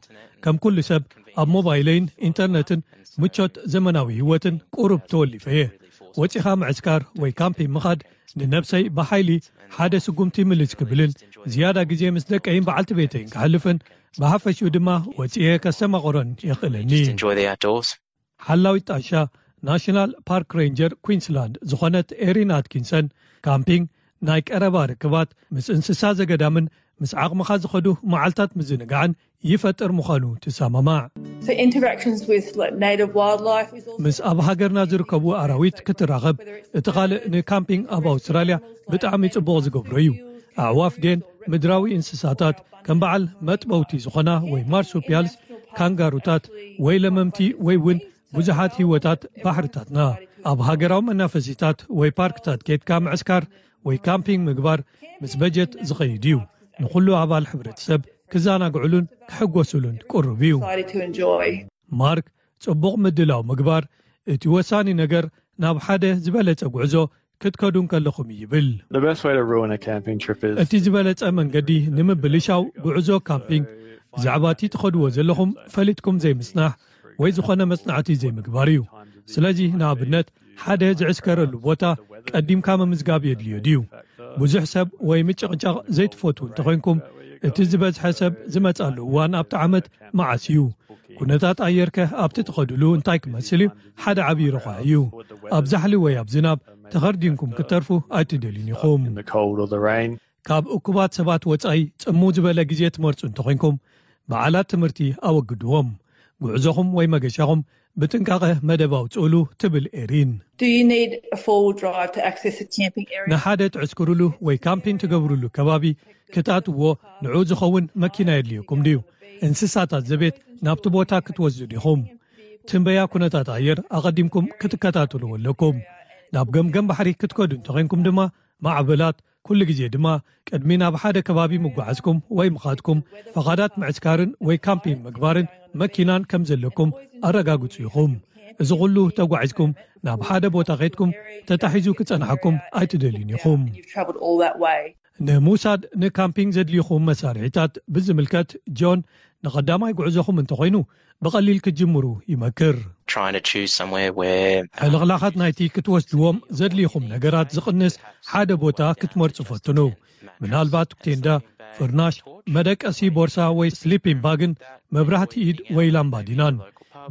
ከም ኩሉ ሰብ ኣብ ሞባይለይን ኢንተርነትን ምቾት ዘመናዊ ህይወትን ቁሩብ ተወሊፈ እየ። ወጺኻ ምዕስካር ወይ ካምፒንግ ምኻድ ንነብሰይ ብሓይሊ ሓደ ስጉምቲ ምልስ ክብልን ዝያዳ ግዜ ምስ ደቀይን በዓልቲ ቤተይን ክሕልፍን ብሓፈሽኡ ድማ ወጺኤ ከስተማቕሮን የኽእለኒ። Just enjoy the outdoors. ሓላዊት ጣሻ ናሽናል ፓርክ ሬንጀር ኩንስላንድ ዝኾነት ኤሪን ኣትኪንሰን፣ ካምፒንግ ናይ ቀረባ ርክባት ምስ እንስሳ ዘገዳምን ምስ ዓቕምኻ ዝኸዱ መዓልታት ምዝንጋዕን ይፈጥር ምዃኑ ትሰማማዕ። So interactions with like native wildlife is also ምስ ኣብ ሃገርና ዝርከቡ ኣራዊት ክትራኸብ እቲ ካልእ ንካምፒንግ ኣብ ኣውስትራልያ ብጣዕሚ ጽቡቕ ዝገብሮ እዩ። ኣዕዋፍ ዴን ምድራዊ እንስሳታት ከም በዓል መጥበውቲ ዝኾና ወይ ማርሱፒያልስ፣ ካንጋሩታት ወይ ለመምቲ ወይ እውን ብዙሓት ህይወታት ባሕርታትና። ኣብ ሃገራዊ መናፈሲታት ወይ ፓርክታት ኬድካ ምዕስካር ወይ ካምፒንግ ምግባር ምስ በጀት ዝኸይድ እዩ። ንኹሉ ኣባል ሕብረተሰብ ክዘናግዕሉን ክሕጎስሉን ቅሩብ እዩ። Decided to enjoy. ማርክ ጽቡቕ ምድላው ምግባር እቲ ወሳኒ ነገር ናብ ሓደ ዝበለጸ ጉዕዞ ክትከዱ እንከለኹም እዩ ይብል። The best way to ruin a camping trip is እቲ ዝበለጸ መንገዲ ንምብልሻው ጉዕዞ ካምፒንግ ብዛዕባ እቲ ትኸድዎ ዘለኹም ፈሊጥኩም ዘይምጽናሕ ወይ ዝኾነ መጽናዕቲ ዘይምግባር እዩ። ስለዚ ንኣብነት ሓደ ዝዕስከረሉ ቦታ ቀዲምካ ምምዝጋብ የድልዮ ድዩ? ብዙሕ ሰብ ወይ ምጭቕጫቕ ዘይትፈትዉ እንተኾይንኩም እቲ ዝበዝሐ ሰብ ዝመጻሉ እዋን ኣብቲ ዓመት መዓስ እዩ? ኩነታት ኣየርከ ኣብቲ ትኸድሉ እንታይ ክመስል እዩ? ሓደ ዓብዪ ረዃሒ እዩ። ኣብ ዛሕሊ ወይ ኣብ ዝናብ ተኸርዲንኩም ክትተርፉ ኣይትደልዩን ኢኹም። In the cold or the rain. ካብ እኩባት ሰባት ወጻኢ ጽምው ዝበለ ግዜ ትመርጹ እንተኾይንኩም፣ በዓላት ትምህርቲ ኣወግድዎም። ጉዕዞኹም ወይ መገሻኹም ብጥንቃቐ መደብ ኣውጽኡሉ፣ ትብል ኤሪን። Do you need a four-wheel drive to access a camping area? ንሓደ ትዕስክሩሉ ወይ ካምፒን ትገብሩሉ ከባቢ ክትኣትዎ ንዑ ዝኸውን መኪና የድልየኩም ድዩ? እንስሳታት ዘቤት ናብቲ ቦታ ክትወስዱ ዲኹም? ትንበያ ኩነታት ኣየር ኣቐዲምኩም ክትከታተልዎ ኣለኩም። ናብ ገምገም ባሕሪ ክትከዱ እንተኾይንኩም ድማ፣ ማዕበላት፣ ኩሉ ግዜ ድማ ቅድሚ ናብ ሓደ ከባቢ ምጓዓዝኩም ወይ ምኻድኩም፣ ፈቓዳት ምዕስካርን ወይ ካምፒን ምግባርን መኪናን ከም ዘለኩም ኣረጋግጹ ኢኹም። እዚ ኩሉ ተጓዒዝኩም ናብ ሓደ ቦታ ኸድኩም ተታሒዙ ክጸንሓኩም ኣይትደልዩን ኢኹም። You've travelled all that way. ንምውሳድ ንካምፒንግ ዘድልዩኹም መሳርሒታት ብዝምልከት፣ ጆን ንቐዳማይ ጉዕዞኹም እንተኾይኑ ብቐሊል ክትጅምሩ ይመክር። Trying to choose somewhere where ሕልኽላኻት ናይቲ ክትወስድዎም ዘድልዩኹም ነገራት ዝቕንስ ሓደ ቦታ ክትመርጹ ፈትኑ። ምናልባት ቴንዳ፣ ፍርናሽ፣ መደቀሲ ቦርሳ ወይ ስሊፒንግ ባግን መብራህቲ ኢድ ወይ ላምባዲናን።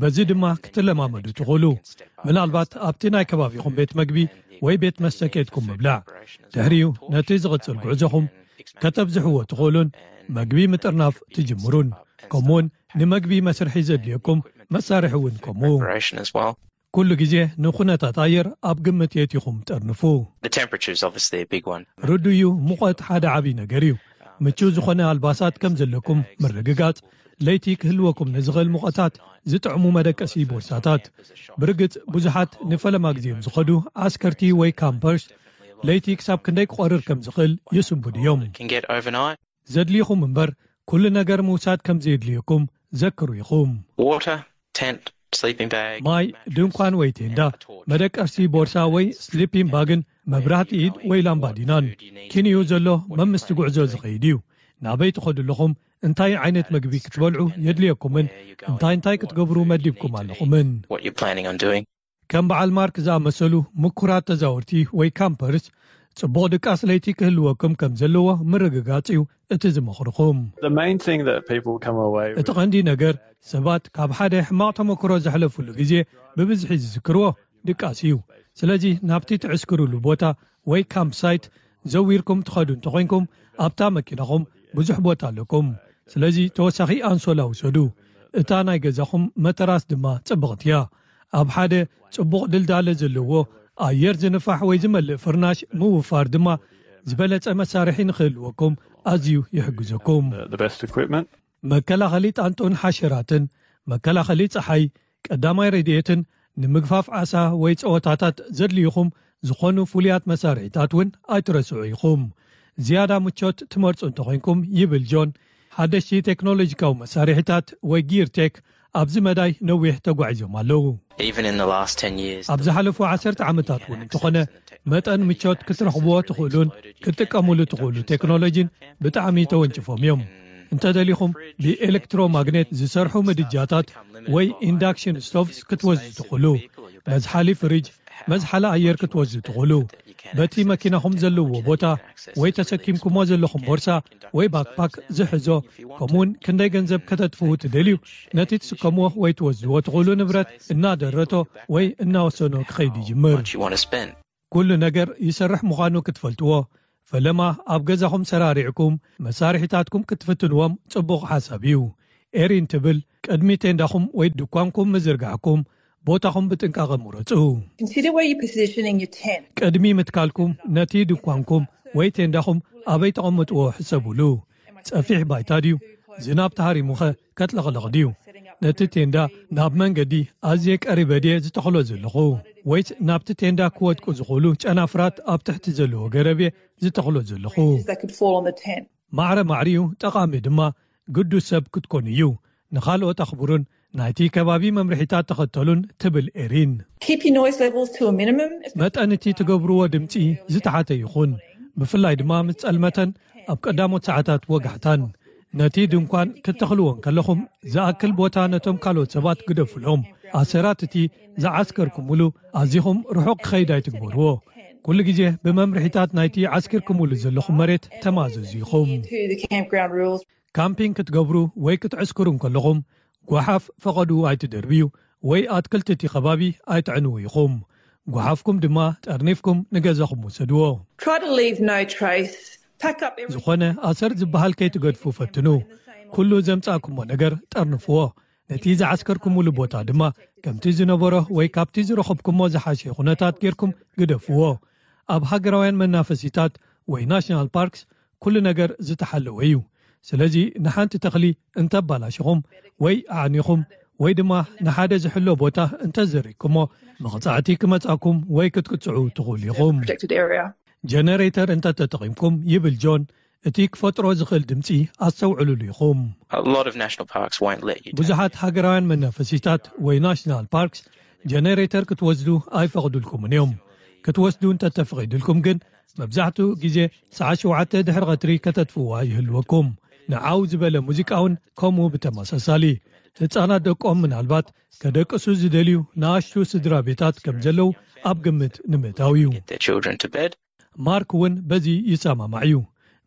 በዚ ድማ ክትለማመዱ ትኽእሉ። ምናልባት ኣብቲ ናይ ከባቢኹም ቤት መግቢ ወይ ቤት መስተ ኬድኩም ምብላዕ። ድሕሪኡ ነቲ ዝቕጽል ጉዕዞኹም ከተብዝሕዎ ትኽእሉን መግቢ ምጥርናፍ ትጅምሩን። ከምኡውን ንመግቢ መስርሒ ዘድልየኩም መሳርሒ እውን ከምኡ። Preparation as well. ኩሉ ግዜ ንኩነታት ኣየር ኣብ ግምት የእቲኹም ጠርንፉ። The temperature is obviously a big one. ርዱእ'ዩ፣ ሙቐት ሓደ ዓብዪ ነገር እዩ። ምቹው ዝኾነ ኣልባሳት ከም ዘለኩም ምርግጋጽ፣ ለይቲ ክህልወኩም ንዝኽእል ሙቐታት ዝጥዕሙ መደቀሲ ቦርሳታት። ብርግጽ ብዙሓት ንፈለማ ግዜም ዝኸዱ ዓስከርቲ ወይ ካምፐርስ ለይቲ ክሳብ ክንደይ ክቖርር ከም ዝኽእል ይስንብዱ እዮም። Can get overnight. ዘድልይኹም እምበር ኩሉ ነገር ምውሳድ ከም ዘየድልየኩም ዘክሩ ኢኹም። Water, tent, sleeping bag. ማይ፣ ድንኳን ወይ ቴንዳ፣ መደቀሲ ቦርሳ ወይ ስሊፒንግ ባግን መብራህቲ ኢድ ወይ ላምባዲናን። ኪንኡ ዘሎ መምስቲ ጉዕዞ ዝኸይድ እዩ። ናበይ ትኸዱ ኣለኹም፣ እንታይ ዓይነት መግቢ ክትበልዑ የድልየኩምን እንታይ እንታይ ክትገብሩ መዲብኩም ኣለኹምን። What you're planning on doing. ከም በዓል ማርክ ዝኣመሰሉ ምኩራት ተዛወርቲ ወይ ካምፐርስ፣ ጽቡቕ ድቃስ ለይቲ ክህልወኩም ከም ዘለዎ ምርግጋጽ እዩ እቲ ዝመኽርኹም። The main thing that people come away እቲ with ቐንዲ ነገር፣ ሰባት ካብ ሓደ ሕማቕ ተመክሮ ዘሕለፉሉ ግዜ ብብዝሒ ዝዝክርዎ ድቃስ እዩ። ስለዚ ናብቲ ትዕስክሩሉ ቦታ ወይ ካምፕ ሳይት ዘዊርኩም ትኸዱ እንተኾይንኩም፣ ኣብታ መኪናኹም ብዙሕ ቦታ ኣለኩም። ስለዚ ተወሳኺ ኣንሶላ ውሰዱ። እታ ናይ ገዛኹም መተራስ ድማ ጽብቕቲ እያ። ኣብ ሓደ ጽቡቕ ድልዳለ ዘለዎ ኣየር ዝንፋሕ ወይ ዝመልእ ፍርናሽ ምውፋር ድማ ዝበለጸ መሳርሒ ንኽህልወኩም ኣዝዩ ይሕግዘኩም። the best equipment. መከላኸሊ ጣንጦን ሓሸራትን፣ መከላኸሊ ጸሓይ፣ ቀዳማይ ረድኤትን ንምግፋፍ ዓሳ ወይ ጸወታታት ዘድልዩኹም ዝኾኑ ፍሉያት መሳርሒታት እውን ኣይትረስዑ ኢኹም። ዝያዳ ምቾት ትመርጹ እንተኾይንኩም፣ ይብል ጆን፣ ሓደሽቲ ቴክኖሎጂካዊ መሳርሒታት ወይ ጊር ቴክ ኣብዚ መዳይ ነዊሕ ተጓዒዞም ኣለዉ። Even in the last ten years, ኣብ ዝሓለፉ ዓሰርተ ዓመታት እውን እንተኾነ፣ መጠን ምቾት ክትረኽብዎ ትኽእሉን ክትጥቀሙሉ ትኽእሉ ቴክኖሎጂን ብጣዕሚ ተወንጭፎም እዮም። እንተደሊኹም ብኤሌክትሮማግኔት ዝሰርሑ ምድጃታት ወይ ኢንዳክሽን ስቶቭስ ክትወስዱ ትኽእሉ። መዝሓሊ ፍሪጅ፣ መዝሓሊ ኣየር ክትወስዱ ትኽእሉ። በቲ መኪናኹም ዘለዎ ቦታ ወይ ተሰኪምኩሞ ዘለኹም ቦርሳ ወይ ባክፓክ ዝሕዞ፣ ከምኡውን ክንደይ ገንዘብ ከተጥፍኡ ትደልዩ፣ ነቲ ትስከምዎ ወይ ትወስድዎ ትኽእሉ ንብረት እናደረቶ ወይ እናወሰኖ ክኸይድ ይጅምር። Much you want to spend. ኩሉ ነገር ይሰርሕ ምዃኑ ክትፈልጥዎ፣ ፈለማ ኣብ ገዛኹም ሰራሪዕኩም መሳርሒታትኩም ክትፍትንዎም ጽቡቕ ሓሳብ እዩ። ኤሪን ትብል፣ ቅድሚ ቴንዳኹም ወይ ድኳንኩም ምዝርጋሕኩም ቦታኹም ብጥንቃቐ ምረጹ። Consider where you're positioning your tent. ቅድሚ ምትካልኩም ነቲ ድኳንኩም ወይ ቴንዳኹም ኣበይ ተቐምጥዎ ሕሰቡሉ። ጸፊሕ ባይታ ድዩ? ዝናብ ተሃሪሙኸ ከጥለቕለቕ ድዩ? ነቲ ቴንዳ ናብ መንገዲ ኣዝየ ቀሪበ ድየ ዝተኽሎ ዘለኹ? ወይስ ናብቲ ቴንዳ ክወድቁ ዝኽእሉ ጨናፍራት ኣብ ትሕቲ ዘለዎ ገረብ እየ ዝተኽሎ ዘለኹ? That could fall on the tent. ማዕረ ማዕሪኡ ጠቓሚ ድማ ግዱስ ሰብ ክትኮኑ እዩ። ንኻልኦት ኣኽብሩን ናይቲ ከባቢ መምርሒታት ተኸተሉን፣ ትብል ኤሪን። Keep your noise levels to a minimum. መጠን እቲ ትገብርዎ ድምፂ ዝተሓተ ይኹን፣ ብፍላይ ድማ ምስ ጸልመተን ኣብ ቀዳሞት ሰዓታት ወጋሕታን። ነቲ ድንኳን ክትተኽልዎ እንከለኹም ዝኣክል ቦታ ነቶም ካልኦት ሰባት ግደፉሎም። ኣሰራት እቲ ዝዓስከርኩምሉ ኣዚኹም ርሑቕ ክኸይድ ኣይትግበርዎ። ኩሉ ግዜ ብመምርሒታት ናይቲ ዓስኪርኩምሉ ዘለኹም መሬት ተማዘዙ ኢኹም። To the campground rules. ካምፒንግ ክትገብሩ ወይ ክትዕስክሩ እንከለኹም፣ ጓሓፍ ፈቐድኡ ኣይትደርብዩ ወይ ኣትክልቲ እቲ ከባቢ ኣይትዕንዉ ኢኹም። ጓሓፍኩም ድማ ጠርኒፍኩም ንገዛኹም ውሰድዎ። Try to leave no trace ዝኾነ ኣሰር ዝበሃል ከይትገድፉ ፈትኑ። ኩሉ ዘምጻእኩሞ ነገር ጠርንፍዎ። ነቲ ዝዓስከርኩምሉ ቦታ ድማ ከምቲ ዝነበሮ ወይ ካብቲ ዝረኸብኩሞ ዝሓሸ ኩነታት ጌርኩም ግደፍዎ። ኣብ ሃገራውያን መናፈሲታት ወይ ናሽናል ፓርክስ ኩሉ ነገር ዝተሓለወ እዩ። ስለዚ ንሓንቲ ተኽሊ እንተባላሽኹም ወይ ኣዕኒኹም ወይ ድማ ንሓደ ዝሕሎ ቦታ እንተዘሪግኩሞ፣ መቕጻዕቲ ክመጻኩም ወይ ክትቅጽዑ ትኽእሉ ኢኹም። ጀነሬተር እንተተጠቒምኩም፣ ይብል ጆን፣ እቲ ክፈጥሮ ዝኽእል ድምጺ ኣስተውዕሉሉ ኢኹም። ብዙሓት ሃገራውያን መናፈሲታት ወይ ናሽናል ፓርክስ ጀነሬተር ክትወስዱ ኣይፈቕዱልኩምን እዮም። ክትወስዱ እንተተፈቒዱልኩም ግን፣ መብዛሕትኡ ግዜ ሰዓት ሸውዓተ ድሕሪ ቐትሪ ከተጥፍዋ ይህልወኩም። ንዓው ዝበለ ሙዚቃ እውን ከምኡ ብተመሳሳሊ። ህጻናት ደቆም ምናልባት ከደቅሱ ዝደልዩ ንኣሽቱ ስድራ ቤታት ከም ዘለዉ ኣብ ግምት ንምእታው እዩ። ማርክ እውን በዚ ይሰማማዕ እዩ።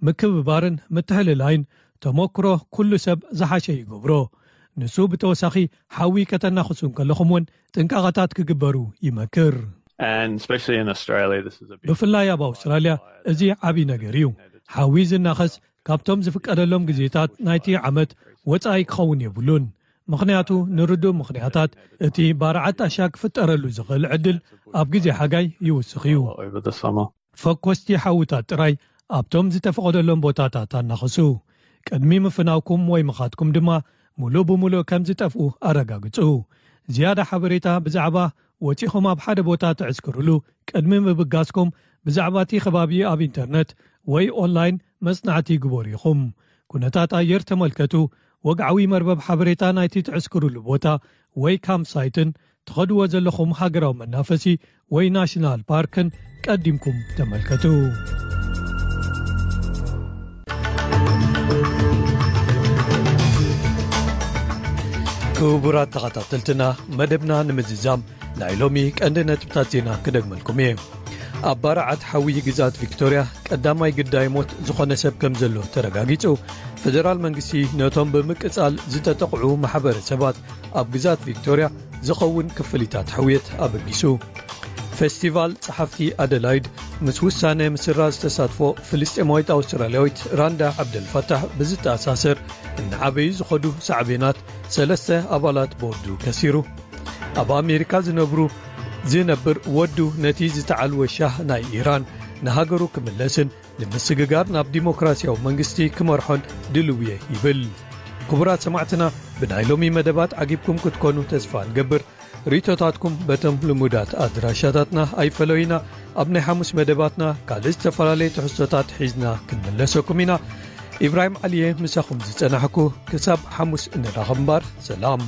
ምክብባርን ምትሕልላይን ተመክሮ ኩሉ ሰብ ዝሓሸ ይገብሮ። ንሱ ብተወሳኺ ሓዊ ከተናኽሱ እንከለኹም እውን ጥንቃቐታት ክግበሩ ይመክር። And especially in Australia, this is a big ብፍላይ ኣብ ኣውስትራልያ እዚ ዓብዪ ነገር እዩ። ሓዊ ዝናኸስ ካብቶም ዝፍቀደሎም ግዜታት ናይቲ ዓመት ወጻኢ ክኸውን የብሉን። ምኽንያቱ ንርዱእ ምኽንያታት እቲ ባርዓት ጣሻ ክፍጠረሉ ዝኽእል ዕድል ኣብ ግዜ ሓጋይ ይውስኽ እዩ። Over the summer. ፈኮስቲ ሓውታት ጥራይ ኣብቶም ዝተፈቐደሎም ቦታታት ኣናኽሱ። ቅድሚ ምፍናውኩም ወይ ምኻድኩም ድማ ሙሉእ ብሙሉእ ከም ዝጠፍኡ ኣረጋግጹ። ዝያዳ ሓበሬታ ብዛዕባ ወጺኹም ኣብ ሓደ ቦታ ትዕስክሩሉ ቅድሚ ምብጋስኩም ብዛዕባ እቲ ከባቢ ኣብ ኢንተርነት ወይ ኦንላይን መጽናዕቲ ግበሩ ኢኹም። ኩነታት ኣየር ተመልከቱ፣ ወግዓዊ መርበብ ሓበሬታ ናይቲ ትዕስክሩሉ ቦታ ወይ ካምፕ ሳይትን ትኸድዎ ዘለኹም ሃገራዊ መናፈሲ ወይ ናሽናል ፓርክን ቀዲምኩም ተመልከቱ። ክቡራት ተኸታተልትና፣ መደብና ንምዝዛም ናይ ሎሚ ቀንዲ ነጥብታት ዜና ክደግመልኩም እየ። ኣብ ባርዓት ሓዊ ግዛት ቪክቶርያ ቀዳማይ ግዳይ ሞት ዝኾነ ሰብ ከም ዘሎ ተረጋጊጹ። ፈደራል መንግስቲ ነቶም ብምቅጻል ዝተጠቕዑ ማሕበረሰባት ኣብ ግዛት ቪክቶርያ ዝኸውን ክፍሊታት ሕውየት ኣበጊሱ። ፌስቲቫል ጸሓፍቲ ኣደላይድ ምስ ውሳነ ምስራዝ ዝተሳትፎ ፍልስጤማዊት ኣውስትራልያዊት ራንዳ ዓብደልፋታሕ ብዝተኣሳሰር እናዓበዩ ዝኸዱ ሳዕቤናት ሰለስተ ኣባላት ቦርዱ ከሲሩ። ኣብ ኣሜሪካ ዝነብሩ ዝነብር ወዱ ነቲ ዝተዓልወ ሻህ ናይ ኢራን ንሃገሩ ክምለስን ንምስግጋር ናብ ዲሞክራሲያዊ መንግስቲ ክመርሖን ድልው እየ ይብል። ክቡራት ሰማዕትና፣ ብናይ ሎሚ መደባት ዓጊብኩም ክትኮኑ ተስፋ ንገብር። ርእይቶታትኩም በቶም ልሙዳት ኣድራሻታትና ኣይፈለዩና። ኣብ ናይ ሓሙስ መደባትና ካልእ ዝተፈላለየ ትሕዝቶታት ሒዝና ክንምለሰኩም ኢና። ኢብራሂም ዓሊየ ምሳኹም ዝጸናሕኩ። ክሳብ ሓሙስ እንራኸብ እምበር፣ ሰላም።